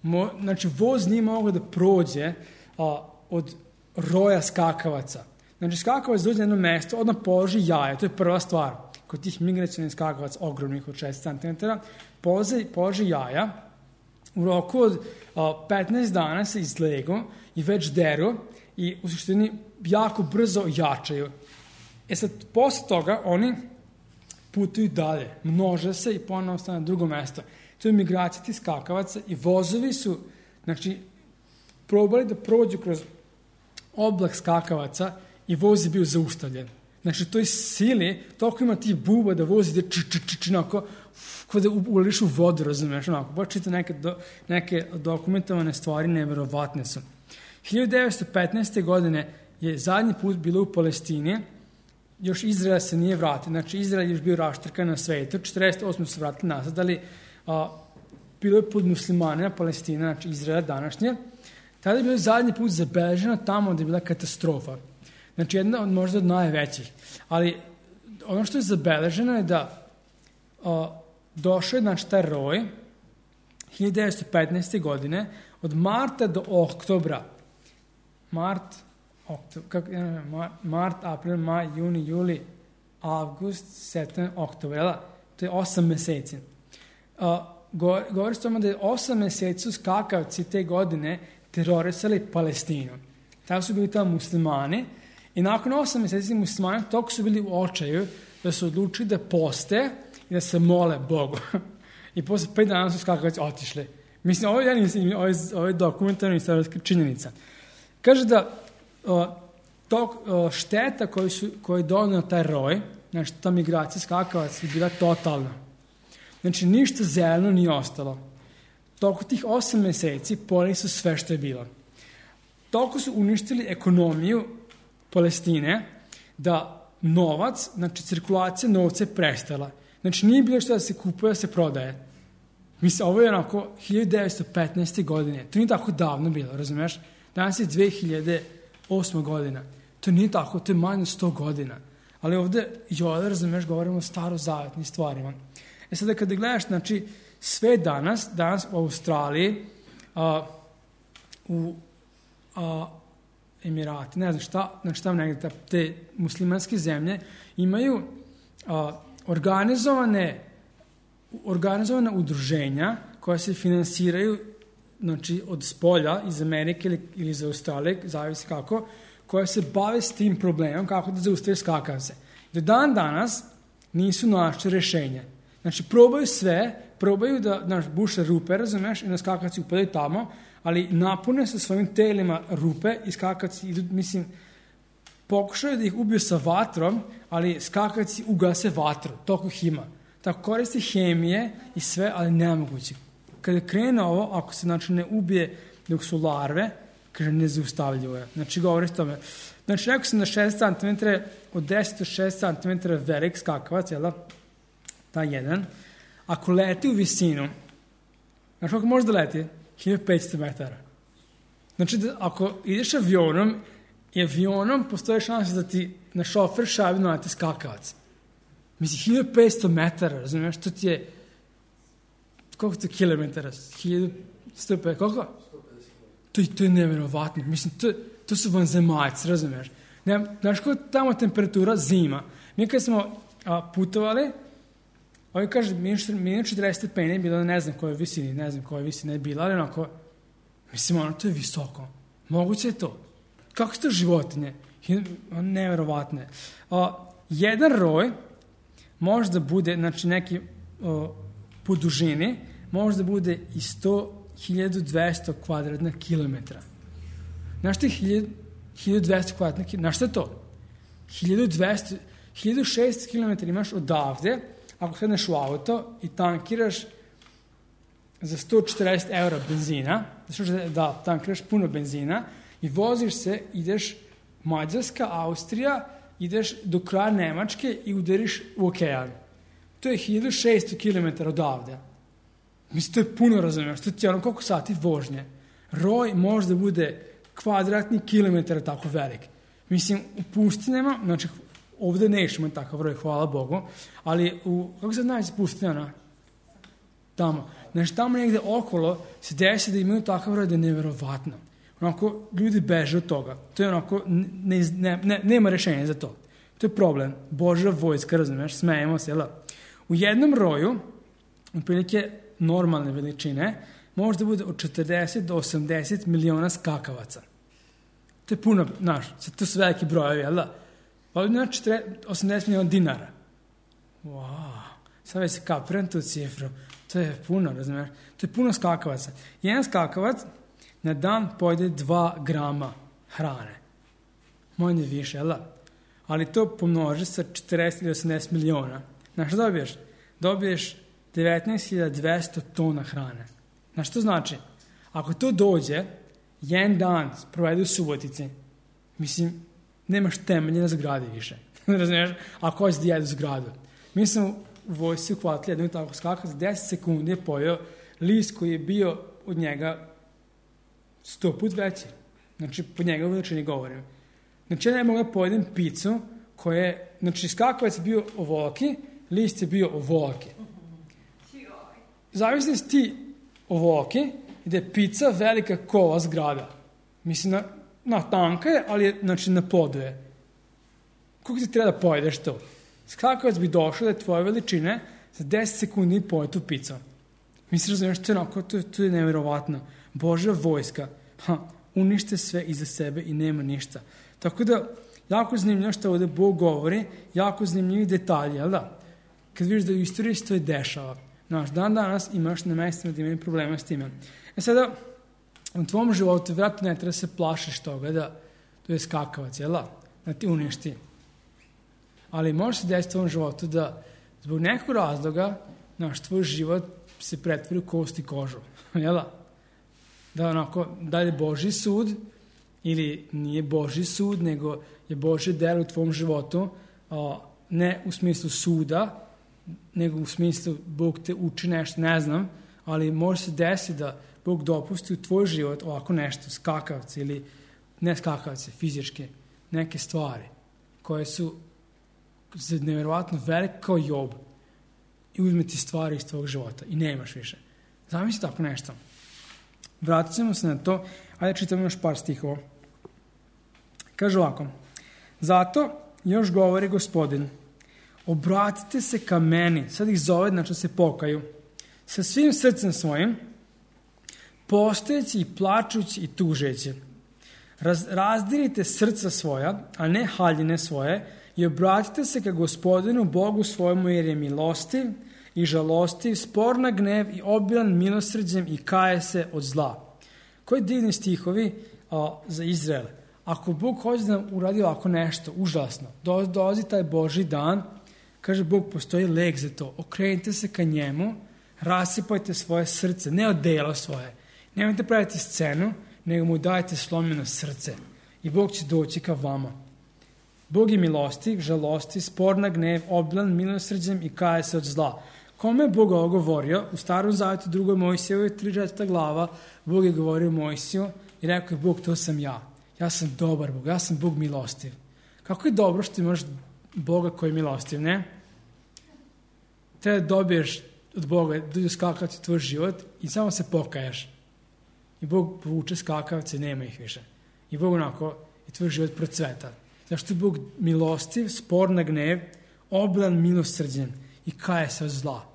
mo, znači, voz nije mogao da prođe a, od roja skakavaca. Znači, skakavac dođe na jedno mesto, odmah položi jaja, to je prva stvar. Kod tih migracionih skakavaca, ogromnih od šest centimetara, položi, položi jaja, u roku od a, petnaest dana se izlegu i već deru i u suštini jako brzo jačaju. E sad, posle toga oni putuju dalje, množe se i ponovno stane na drugo mesto. To je migracija tih skakavaca i vozovi su, znači, probali da prođu kroz oblak skakavaca i voz je bio zaustavljen. Znači, to je sili, toliko ima tih buba da voz ide č, č, č, č, onako, kao da uliš u vodu, razumiješ, onako, počite neke, do, neke dokumentovane stvari, neverovatne su. hiljadu devetsto petnaeste. godine je zadnji put bilo u Palestini, još Izrael se nije vratio, znači Izrael je još bio raštrkan na svetu, četrdeset osme su se vratili nazad, ali a, bilo je pod muslimanima Palestina, znači Izrael današnje, tada je bilo zadnji put zabeleženo tamo gde je bila katastrofa. Znači jedna od možda od najvećih. Ali ono što je zabeleženo je da a, došao je, znači, taj roj hiljadu devetsto petnaeste. godine od marta do oktobra. Mart, oktober, kako, mart, april, maj, juni, juli, avgust, septembar, oktober, to je osam meseci. A, go, govori se tome da je osam meseci su skakavci te godine terorisali Palestinu. Tako su bili tamo muslimani i nakon osam meseci muslimani toliko su bili u očaju da su odlučili da poste i da se mole Bogu. I posle pet dana su skakavci otišli. Mislim, ovo je, ovo je, ovo je dokumentarna istorijska činjenica. Kaže da o, to, o, šteta koju, su, koju je donio taj roj, znači ta migracija skakavac je bila totalna. Znači, ništa zeleno nije ostalo. Toliko tih osam meseci poli su sve što je bilo. Toliko su uništili ekonomiju Palestine da novac, znači cirkulacija novca je prestala. Znači, nije bilo što da se kupuje, da se prodaje. Mislim, ovo je onako hiljadu devetsto petnaeste. godine. To nije tako davno bilo, razumiješ? Danas je dve hiljade osma. godina. To nije tako, to je manje od sto godina. Ali ovde, joj, razumiješ, govorimo o starozavetnim stvarima. E sada, kada gledaš, znači, sve danas, danas u Australiji, a, u a, Emirati, ne znam šta, znači tamo negdje, te muslimanske zemlje, imaju a, organizovane, organizovane udruženja koja se finansiraju, znači, od spolja, iz Amerike ili, ili iz Australije, zavisi kako, koja se bave s tim problemom, kako da zaustavi skakavce. Do dan danas nisu našli rešenje. Znači, probaju sve, probaju da, znaš, buše rupe, razumeš, i na skakavci upadaju tamo, ali napune sa svojim telima rupe i skakavci idu, mislim, pokušaju da ih ubiju sa vatrom, ali skakavci ugase vatru, toliko ih ima. Tako koristi hemije i sve, ali nemoguće. Kada krene ovo, ako se, znači, ne ubije dok su larve, kaže, nezaustavljivo je. Znači, govori s tome. Znači, rekao sam da šest centimetara, od deset do šest centimetara velik skakavac, jel da? Ta jedan. Ako leti u visinu, znači, ako može da leti, hiljadu petsto metara. Znači, da, ako ideš avionom, i avionom postoje šanse da ti na šofer šabi naleti skakavac. Mislim, hiljadu petsto metara, razumiješ, to ti je, koliko to kilometara? hiljadu sto pedeset, koliko? To, to je nevjerovatno. Mislim, to, to su vanzemaljci, razumiješ. Ne, znaš koja je tamo temperatura? Zima. Mi kad smo a, putovali, ovi kaže, minus četrdeset stepeni je bilo, ne znam koje visini, ne znam koje visine je bila, ali onako, mislim, ono, to je visoko. Moguće je to. Kako su to životinje? Nevjerovatne. A, jedan roj može da bude, znači, neki o, po dužini, može da bude i sto hiljadu dvesta kvadratna kilometra. Znaš ti hiljadu dvesta kvadratnih kilometara. Znaš šta je to? hiljadu dvesta, hiljadu šessto kilometara imaš odavde, ako sedneš u auto i tankiraš za sto četrdeset eura benzina, znači da tankiraš puno benzina i voziš se, ideš Mađarska, Austrija, ideš do kraja Nemačke i udariš u okean. To je hiljadu šessto kilometara odavde. Mislim, to je puno, razumiješ, to je ono koliko sati vožnje. Roj može da bude kvadratni kilometar tako velik. Mislim, u pustinama, znači, ovde nećemo imati takav roj, hvala Bogu, ali u, kako se najde pustinjana? Tamo. Znači, tamo negde okolo se desi da imaju takav roj da je neverovatno. Onako, ljudi beže od toga. To je onako, ne, ne, ne, nema rešenja za to. To je problem. Božja vojska, razumiješ, smejemo se, jel? U jednom roju, otprilike normalne veličine, može da bude od četrdeset do osamdeset miliona skakavaca. To je puno, znaš, to su veliki brojevi, jel da? Pa znači osamdeset miliona dinara. Wow, sad već se kapiram tu cifru. To je puno, razumiješ? To je puno skakavaca. Jedan skakavac na dan pojede dva grama hrane. Manje više, jel da? Ali to pomnoži sa četrdeset ili osamdeset miliona. Znaš što dobiješ? Dobiješ devetnaest hiljada dvesta tona hrane. Znaš što znači? Ako to dođe, jedan dan provede u Subotici, mislim, nemaš temelje na zgradi više. Razumiješ? Ako hoćeš da jedu zgradu. Mi smo u vojsci uhvatili jednog tako skaka, za deset sekundi je pojeo list koji je bio od njega sto put veći. Znači, po njega u veličini govorim. Znači, ja ne mogu da pojedem picu koja je, znači, skakavac je bio ovoliki, list je bio ovoliki. Zavisno si ti ovoliki i da je pica velika ko ova zgrada. Mislim, na, na tanka je, ali je, znači, na podu je. Koliko ti treba da pojedeš to? Skakavac bi došao da je tvoje veličine za deset sekundi i pojede tu picu. Mislim, razumiješ, to je onako, to, to je nevjerovatno. Božja vojska, ha, unište sve iza sebe i nema ništa. Tako da, jako zanimljivo što ovdje Bog govori, jako zanimljivi detalji, jel da? Kad vidiš da u istoriji se to je dešava. Znaš, dan danas imaš na mestima da imaju problema s time. E sada, u tvom životu vjerojatno ne treba se plašiš toga da to je skakavac, jel da? Da ti uništi. Ali može se desiti u tvom životu da zbog nekog razloga, znaš, tvoj život se pretvori u kost i kožu, jel da? Da onako, da je Božji sud ili nije Božji sud, nego je Božje delo u tvom životu, a, ne u smislu suda, nego u smislu Bog te uči nešto, ne znam, ali može se desiti da Bog dopusti u tvoj život ovako nešto, skakavce ili ne skakavce, fizičke, neke stvari koje su nevjerovatno velike kao Job i uzme ti stvari iz tvojeg života i nemaš više. Zamisli tako nešto. Vratit ćemo se na to, ajde čitamo još par stihova. Kaže ovako, zato još govori Gospodin, obratite se ka meni, sad ih zove, znači se pokaju, sa svim srcem svojim, postojeći i plačući i tužeći. Raz, razdirite srca svoja, a ne haljine svoje, i obratite se ka Gospodinu Bogu svojemu, jer je milostiv i žalostiv, spor na gnev i obilan milosrđem i kaje se od zla. Koji divni stihovi a, za Izrael. Ako Bog hoće da nam uradi ovako nešto užasno, do, dolazi taj Božji dan, kaže Bog, postoji lek za to. Okrenite se ka njemu, rasipajte svoje srce, ne odelo svoje. Nemojte praviti scenu, nego mu dajte slomljeno srce. I Bog će doći ka vama. Bog je milostiv, žalosti, spor na gnev, obilan milosrđem i kaje se od zla. Kome je Bog ovo govorio? U Starom Zavjetu, drugoj Mojsijevoj, trideset glava, Bog je govorio Mojsiju i rekao je Bog, to sam ja. Ja sam dobar Bog, ja sam Bog milostiv. Kako je dobro što imaš Boga koji je milostiv, ne? Treba da dobiješ od Boga, da skakavci tvoj život i samo se pokajaš. I Bog povuče skakavce i nema ih više. I Bog onako i tvoj život procveta. Zašto je Bog milostiv, spor na gnev, obilan milosrđen i kaje se od zla.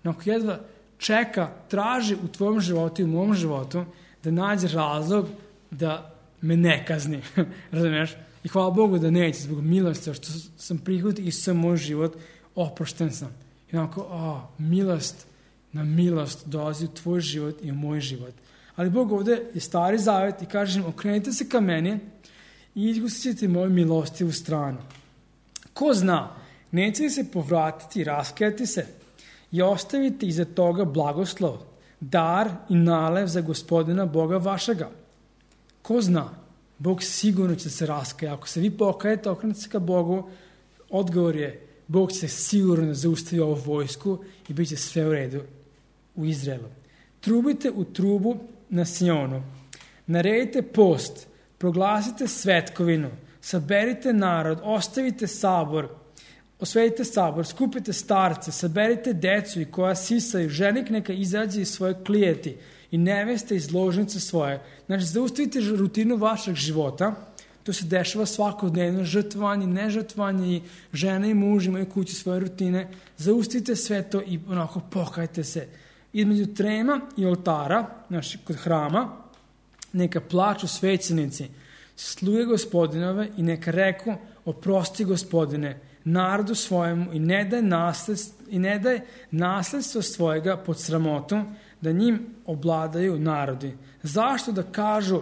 Onako jedva čeka, traži u tvojom životu i u mom životu da nađe razlog da me ne kazni. Razumiješ? I hvala Bogu da neće zbog milosti, što sam prihvatio i sam moj život, oprošten sam. I onako, o, milost na milost dolazi u tvoj život i u moj život. Ali Bog ovdje je Stari Zavjet i kaže im, okrenite se ka meni i izgusit ćete moju milostivu stranu. Ko zna, neće li se povratiti i raskajati se i ostaviti iza toga blagoslov, dar i nalev za Gospodina Boga vašega. Ko zna, Bog sigurno će se raskaja. Ako se vi pokajete, okrenete se ka Bogu, odgovor je, Bog će sigurno zaustaviti ovu vojsku i bit će sve u redu u Izraelu. Trubite u trubu na Sionu, naredite post, proglasite svetkovinu, saberite narod, ostavite sabor, osvedite sabor, skupite starce, saberite decu i koja sisaju, ženik neka izađe iz svoje klijeti i neveste iz ložnice svoje. Znači, zaustavite rutinu vašeg života, to se dešava svakodnevno, žrtvovanje, nežrtvovanje, i žene i muž imaju kući svoje rutine, zaustavite sve to i onako pokajte se. Između trema i oltara, znači kod hrama, neka plaču svećenici, sluje Gospodinove i neka reku, oprosti Gospodine, narodu svojemu i ne daj nasledstvo, i ne daj nasledstvo svojega pod sramotu, da njim obladaju narodi. Zašto da kažu,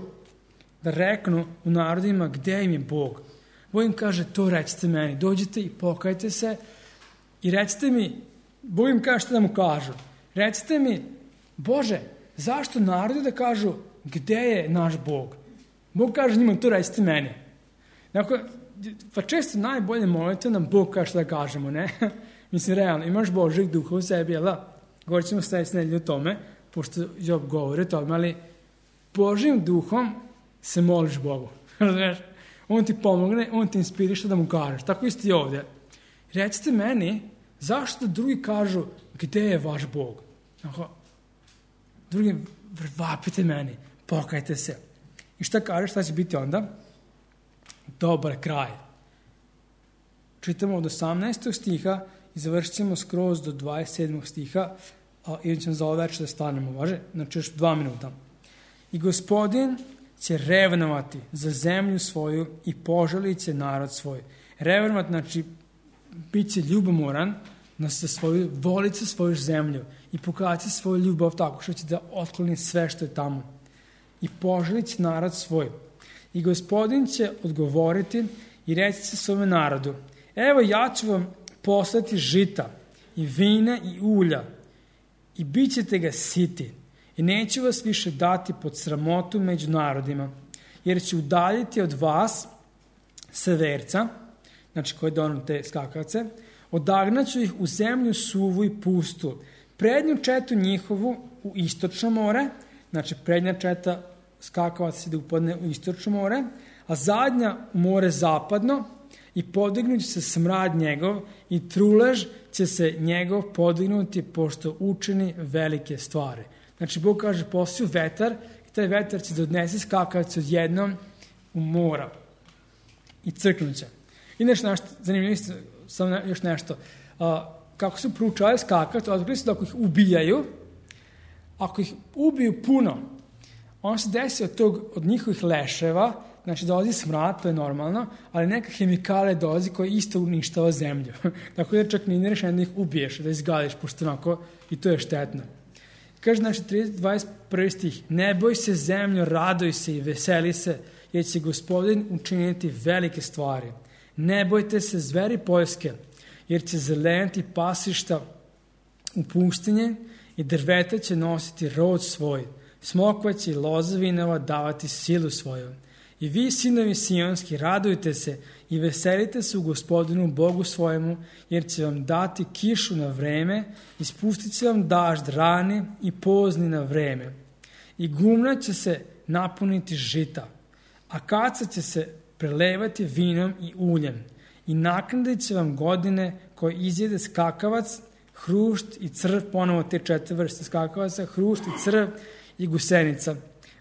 da reknu u narodima gde im je Bog? Bog im kaže, to recite meni, dođite i pokajte se i recite mi, Bog im kaže što da mu kažu. Recite mi, Bože, zašto narodi da kažu gde je naš Bog? Bog kaže njima, to recite meni. Dakle, pa često najbolje molite nam Bog kaže što da kažemo, ne? Mislim, realno, imaš Božeg duha u sebi, jel da? Govorit ćemo sledeće nedelje o tome, pošto Job govori o tome, ali Božim duhom se moliš Bogu. Razumiješ? On ti pomogne, on ti inspiriše da mu kažeš. Tako isto i ovdje. Recite meni, zašto drugi kažu gde je vaš Bog? Tako, drugi, vapite meni, pokajte se. I šta kažeš, šta će biti onda? Dobar kraj. Čitamo od osamnaestog stiha i završit ćemo skroz do dvadeset sedmog stiha, a ili ćemo za ovo večer da stanemo, važe? Znači još dva minuta. I Gospodin će revnovati za zemlju svoju i poželit će narod svoj. Revnovati, znači, bit će ljubomoran na svoju, volit će svoju zemlju i pokazati svoju ljubav tako što će da otkloni sve što je tamo. I poželit će narod svoj. I Gospodin će odgovoriti i reći će svome narodu, evo ja ću vam poslati žita i vina i ulja i bit ćete ga siti. I neću vas više dati pod sramotu među narodima, jer ću udaljiti od vas severca, znači koji donaju te skakavce, odagnaću ih u zemlju suvu i pustu, prednju četu njihovu u istočno more, znači prednja četa skakavac ide upadne u istočno more, a zadnja u more zapadno, i podignut će se smrad njegov i trulež će se njegov podignuti pošto učini velike stvari. Znači, Bog kaže, posiju vetar i taj vetar će da odnese skakavac odjednom u mora i crknut će. I nešto, nešto zanimljivo, samo ne, još nešto. A, kako su proučavali skakavac, otkrili su da ako ih ubijaju, ako ih ubiju puno, on se desi od, tog, od njihovih leševa, znači dolazi smrad, to je normalno, ali neka hemikalija dolazi koja isto uništava zemlju. Tako da čak nije rešeno da ih ubiješ, da izgališ, pošto onako i to je štetno. Kaže, znači, dvadeset prvi stih, ne boj se zemljo, raduj se i veseli se, jer će Gospodin učiniti velike stvari. Ne bojte se zveri poljske, jer će zeleniti pasišta u pustinje i drveta će nositi rod svoj. Smokva će i loza vinova davati silu svoju. I vi, sinovi sionski, radujte se i veselite se u Gospodinu Bogu svojemu, jer će vam dati kišu na vreme, ispustit će vam dažd rani i pozni na vreme. I gumna će se napuniti žita, a kaca će se prelevati vinom i uljem. I naknadit će vam godine koje izjede skakavac, hrušt i crv, ponovo te četiri vrste skakavaca, hrušt i crv i gusenica.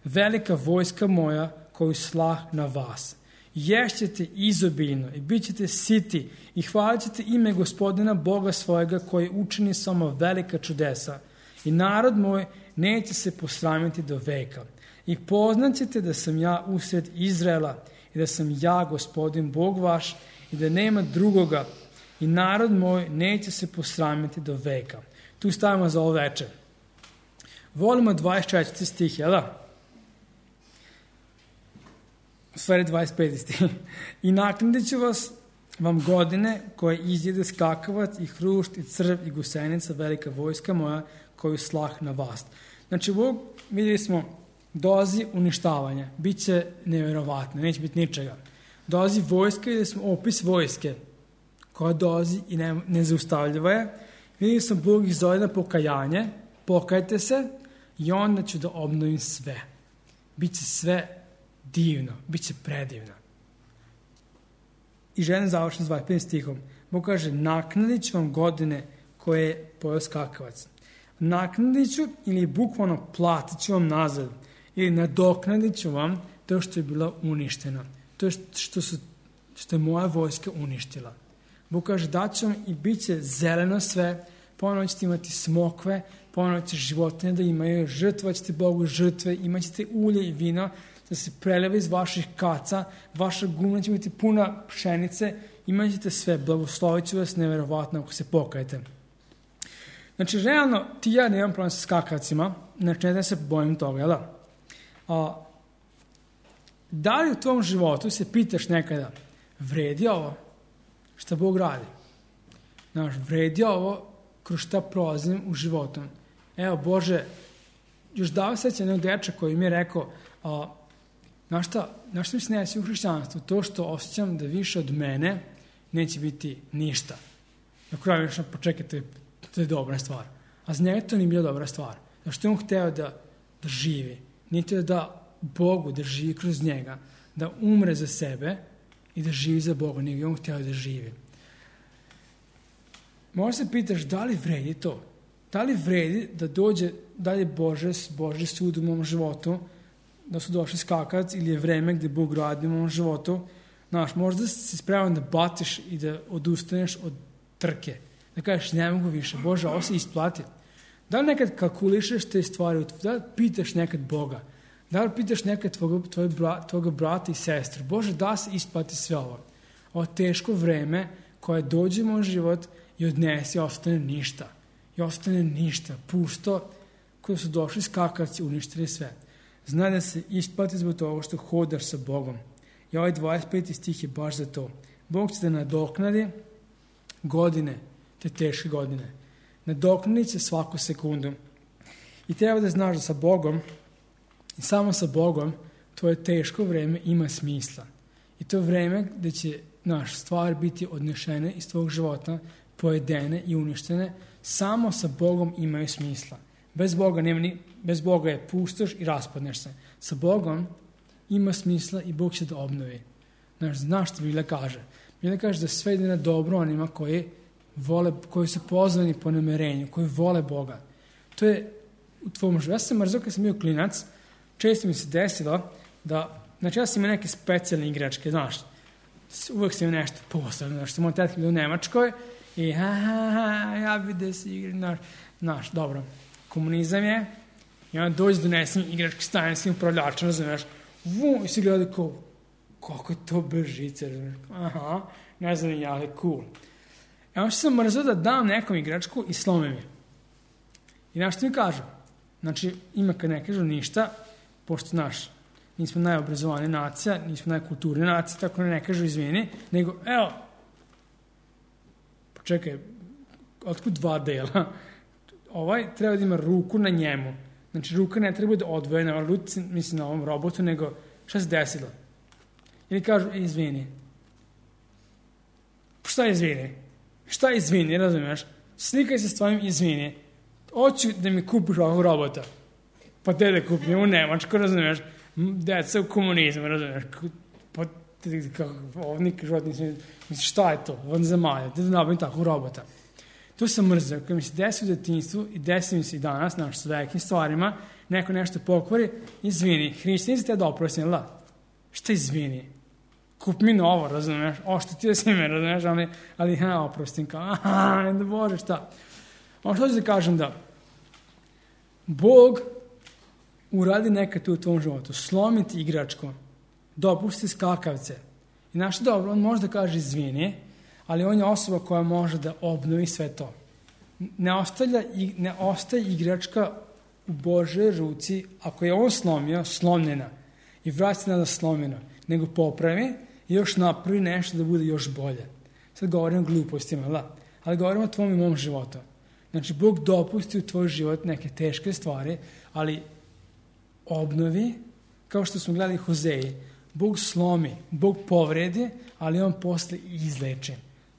Velika vojska moja koju slah na vas. Ješćete izobiljno i bit ćete siti i hvalit ćete ime Gospodina Boga svojega koji učini samo velika čudesa. I narod moj neće se posramiti do veka. I poznaćete da sam ja usred Izraela i da sam ja Gospodin Bog vaš i da nema drugoga. I narod moj neće se posramiti do veka. Tu stavimo za ovo večer. Volimo dvadeset četvrti stih, jel da? u stvari dvadeset peti stih. I naknadit ću vas vam godine koje izjede skakavac i hrušt i crv i gusenica, velika vojska moja koju slah na vas. Znači, Bog, vidjeli smo, dolazi uništavanje. Biće nevjerovatno, neće biti ničega. Dolazi vojska, vidjeli smo opis vojske koja dolazi i ne, nezaustavljiva je. Vidjeli smo, Bog ih zove na pokajanje, pokajte se i onda ću da obnovim sve. Biće sve divno, biće predivno. I želim završiti s dvadeset petim stihom. Bog kaže, naknadit ću vam godine koje je pojeo skakavac. Naknadit ću ili bukvalno platit ću vam nazad ili nadoknadit ću vam to što je bilo uništeno. To što, su, što je moja vojska uništila. Bog kaže, daću vam i bit će zeleno sve, ponovno ćete imati smokve, ponovno ćete životinje da imaju, žrtvovat ćete Bogu žrtve, imat ćete ulje i vino, da se preleva iz vaših kaca, vaša gumna će biti puna pšenice, imat ćete sve, blagoslovit ću vas neverovatno ako se pokajete. Znači, realno, ti ja nemam problem sa skakavcima, znači ne da se bojim toga, jel da? A, da li u tvom životu se pitaš nekada, vredi ovo šta Bog radi? Znaš, vredi ovo kroz šta prolazim u životu? Evo, Bože, još dao seća jednog deča koji mi je rekao, a, znaš šta, znaš šta mi se ne desi u hrišćanstvu? To što osjećam da više od mene neće biti ništa. Na kraju mi je počekaj, to je, to je dobra stvar. A za njega to nije bila dobra stvar. Zašto je on hteo da, da živi? Nije hteo da Bogu, da živi kroz njega, da umre za sebe i da živi za Boga, nego je on hteo da živi. Možda se pitaš da li vredi to? Da li vredi da dođe, da li je Bože, Bože sud u mom životu, da su došli skakac ili je vreme gde Bog radi u mom životu? Znaš, možda si spreman da batiš i da odustaneš od trke. Da kažeš, ne mogu više, Bože, ovo se isplati. Da li nekad kalkulišeš te stvari, da li pitaš nekad Boga? Da li pitaš nekad tvojeg, tvojeg, tvojeg brata i sestru? Bože, da se isplati sve ovo? Ovo teško vreme koje dođe u moj život i odnese i ostane ništa. I ostane ništa, pusto, koji su došli skakavci, uništili sve. Znaj da se isplati zbog toga što hodaš sa Bogom. I ovaj dvadeset peti stih je baš za to. Bog će da nadoknadi godine, te teške godine. Nadoknadit će svaku sekundu. I treba da znaš da sa Bogom, i samo sa Bogom, tvoje teško vreme ima smisla. I to vreme gde će naš stvar biti odnešene iz tvojeg života, pojedene i uništene, samo sa Bogom imaju smisla. Bez Boga, nema ni, bez Boga je pustoš i raspadneš se. Sa Bogom ima smisla i Bog će da obnovi. Znaš, znaš što Biblia kaže? Biblia kaže da sve ide na dobro onima koji vole, koji su pozvani po namerenju, koji vole Boga. To je u tvojom životu. Ja sam mrzio kad sam bio klinac, često mi se desilo da, znači ja sam imao neke specijalne igračke, znaš, uvek sam imao nešto posebno, znaš, sam moj tetka bio u Nemačkoj i ha, ha, ha, ja bi da se igram, znaš, znaš, dobro, komunizam je, i onda dođe donesem igračke stajanskim upravljačem, znaš, vum, i si gledali kao, kako je to bržice, znaš, aha, ne znam ja, ali cool. E onda što sam mrzio da dam nekom igračku i slome mi. I znaš što mi kažu? Znači, ima kad ne kažu ništa, pošto, znaš, nismo najobrazovanija nacija, nismo najkulturnija nacija, tako ne, ne kažu izvini, nego, evo, počekaj, otkud dva dela? Ovaj treba da ima ruku na njemu. Znači, ruka ne treba da odvojena, na ruci, mislim, na ovom robotu, nego šta se desilo? Ili kažu, e, izvini. Šta je izvini? Šta je izvini, razumiješ? Slikaj se s tvojim izvini. Hoću da mi kupiš ovog robota. Pa te da kupim u Nemačku, razumiješ? Deca u komunizmu, razumiješ? Pa ovdje nikad život nisam... Mislim, šta je to? Ovdje zamalja. Da nabavim takvog robota. To sam mrzio. Kada mi se desi u detinjstvu i desi mi se i danas, znaš, s velikim stvarima, neko nešto pokvari, izvini. Hrišćani se te da oprosim, ili da? Šta izvini? Kup mi novo, razumiješ? Ošteti da si me, razumiješ? Ali, ali ha, oprostim, kao, aha, ne da Bože, šta? Ono što ću da kažem da Bog uradi nekad tu u tvom životu, slomiti igračku, dopusti skakavce. I znaš dobro, on može da kaže izvini, ali on je osoba koja može da obnovi sve to. Ne, ostavlja, ne ostaje igračka u Božoj ruci, ako je on slomio, slomljena i vraća na slomljeno. nego popravi i još napravi nešto da bude još bolje. Sad govorim o glupostima, da, ali govorim o tvom i mom životu. Znači, Bog dopusti u tvoj život neke teške stvari, ali obnovi, kao što smo gledali Hozeji, Bog slomi, Bog povredi, ali on posle izleči.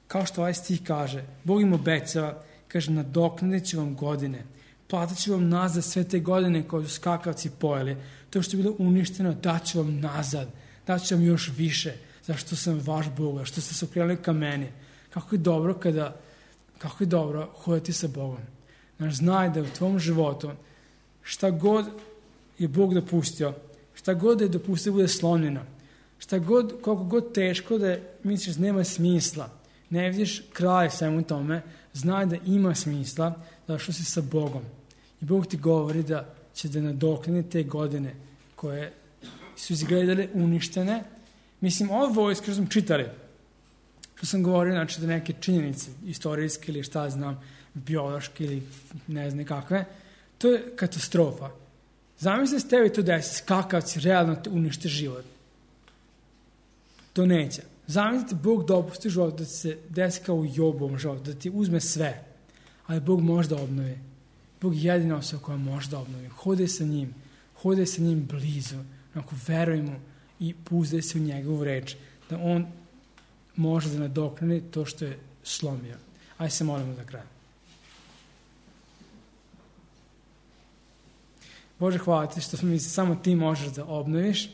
Kao što ovaj stih kaže, Bog im obećava, kaže, nadoknadit ću vam godine, platit ću vam nazad sve te godine koje su skakavci pojeli, to što je bilo uništeno, daću vam nazad, daću vam još više, zašto sam vaš Bog, što ste se okrenuli ka meni. Kako je dobro kada, kako je dobro hoditi sa Bogom. Znaš, znaj da u tvom životu šta god je Bog dopustio, šta god je dopustio bude slomljeno, šta god, koliko god teško da je, misliš nema smisla, ne vidiš kraj svemu tome, znaj da ima smisla, zašto si sa Bogom. I Bog ti govori da će da nadoknadi te godine koje su izgledale uništene. Mislim, ovo vojske što smo čitali, što sam govorio, znači da neke činjenice, istorijske ili šta znam, biološke ili ne znam kakve, to je katastrofa. Zamisli se tebi to desi, skakavci realno te unište život. To neće. Zamislite, Bog dopusti život da se desi kao u Jobovom životu, da ti uzme sve, ali Bog može da obnovi. Bog je jedina osoba koja može da obnovi. Hodaj sa njim, hodaj sa njim blizu, onako veruj mu i puzdaj se u njegovu reč, da on može da nadoknadi to što je slomio. Ajde se molimo za kraj. Bože, hvala ti što smo mi, samo ti možeš da obnoviš,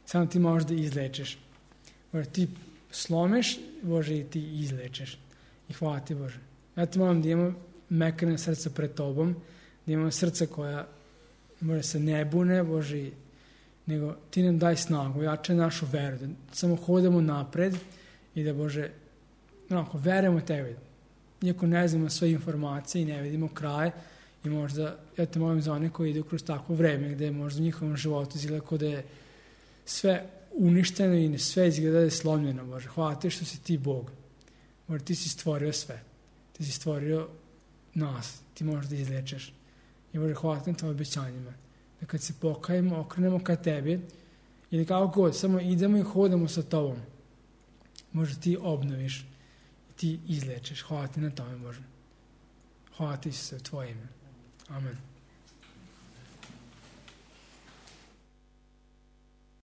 samo ti možeš da izlečiš. Bože, ti slomiš, Bože, i ti izlečiš. I hvala ti, Bože. Ja ti molim da imamo mekane srca pred tobom, da imamo srca koja, Bože, se ne bune, Bože, nego ti nam daj snagu, jačaj našu veru, da samo hodamo napred i da, Bože, onako, verujemo tebi. Iako ne znamo sve informacije i ne vidimo kraj, i možda, ja te molim za one koji idu kroz takvo vreme, gde je možda u njihovom životu izgleda kao da je sve uništeno i sve izgleda da je slomljeno, Bože. Hvala ti što si ti Bog. Bože, ti si stvorio sve. Ti si stvorio nas. Ti možeš da izlečeš. I Bože, hvala ti na tvojim obećanjima. Da kad se pokajemo, okrenemo ka tebi ili kako god, samo idemo i hodamo sa tobom. Bože, ti obnoviš i ti izlečeš. Hvala ti na tome, Bože. Hvala ti se u tvoje ime. Amen.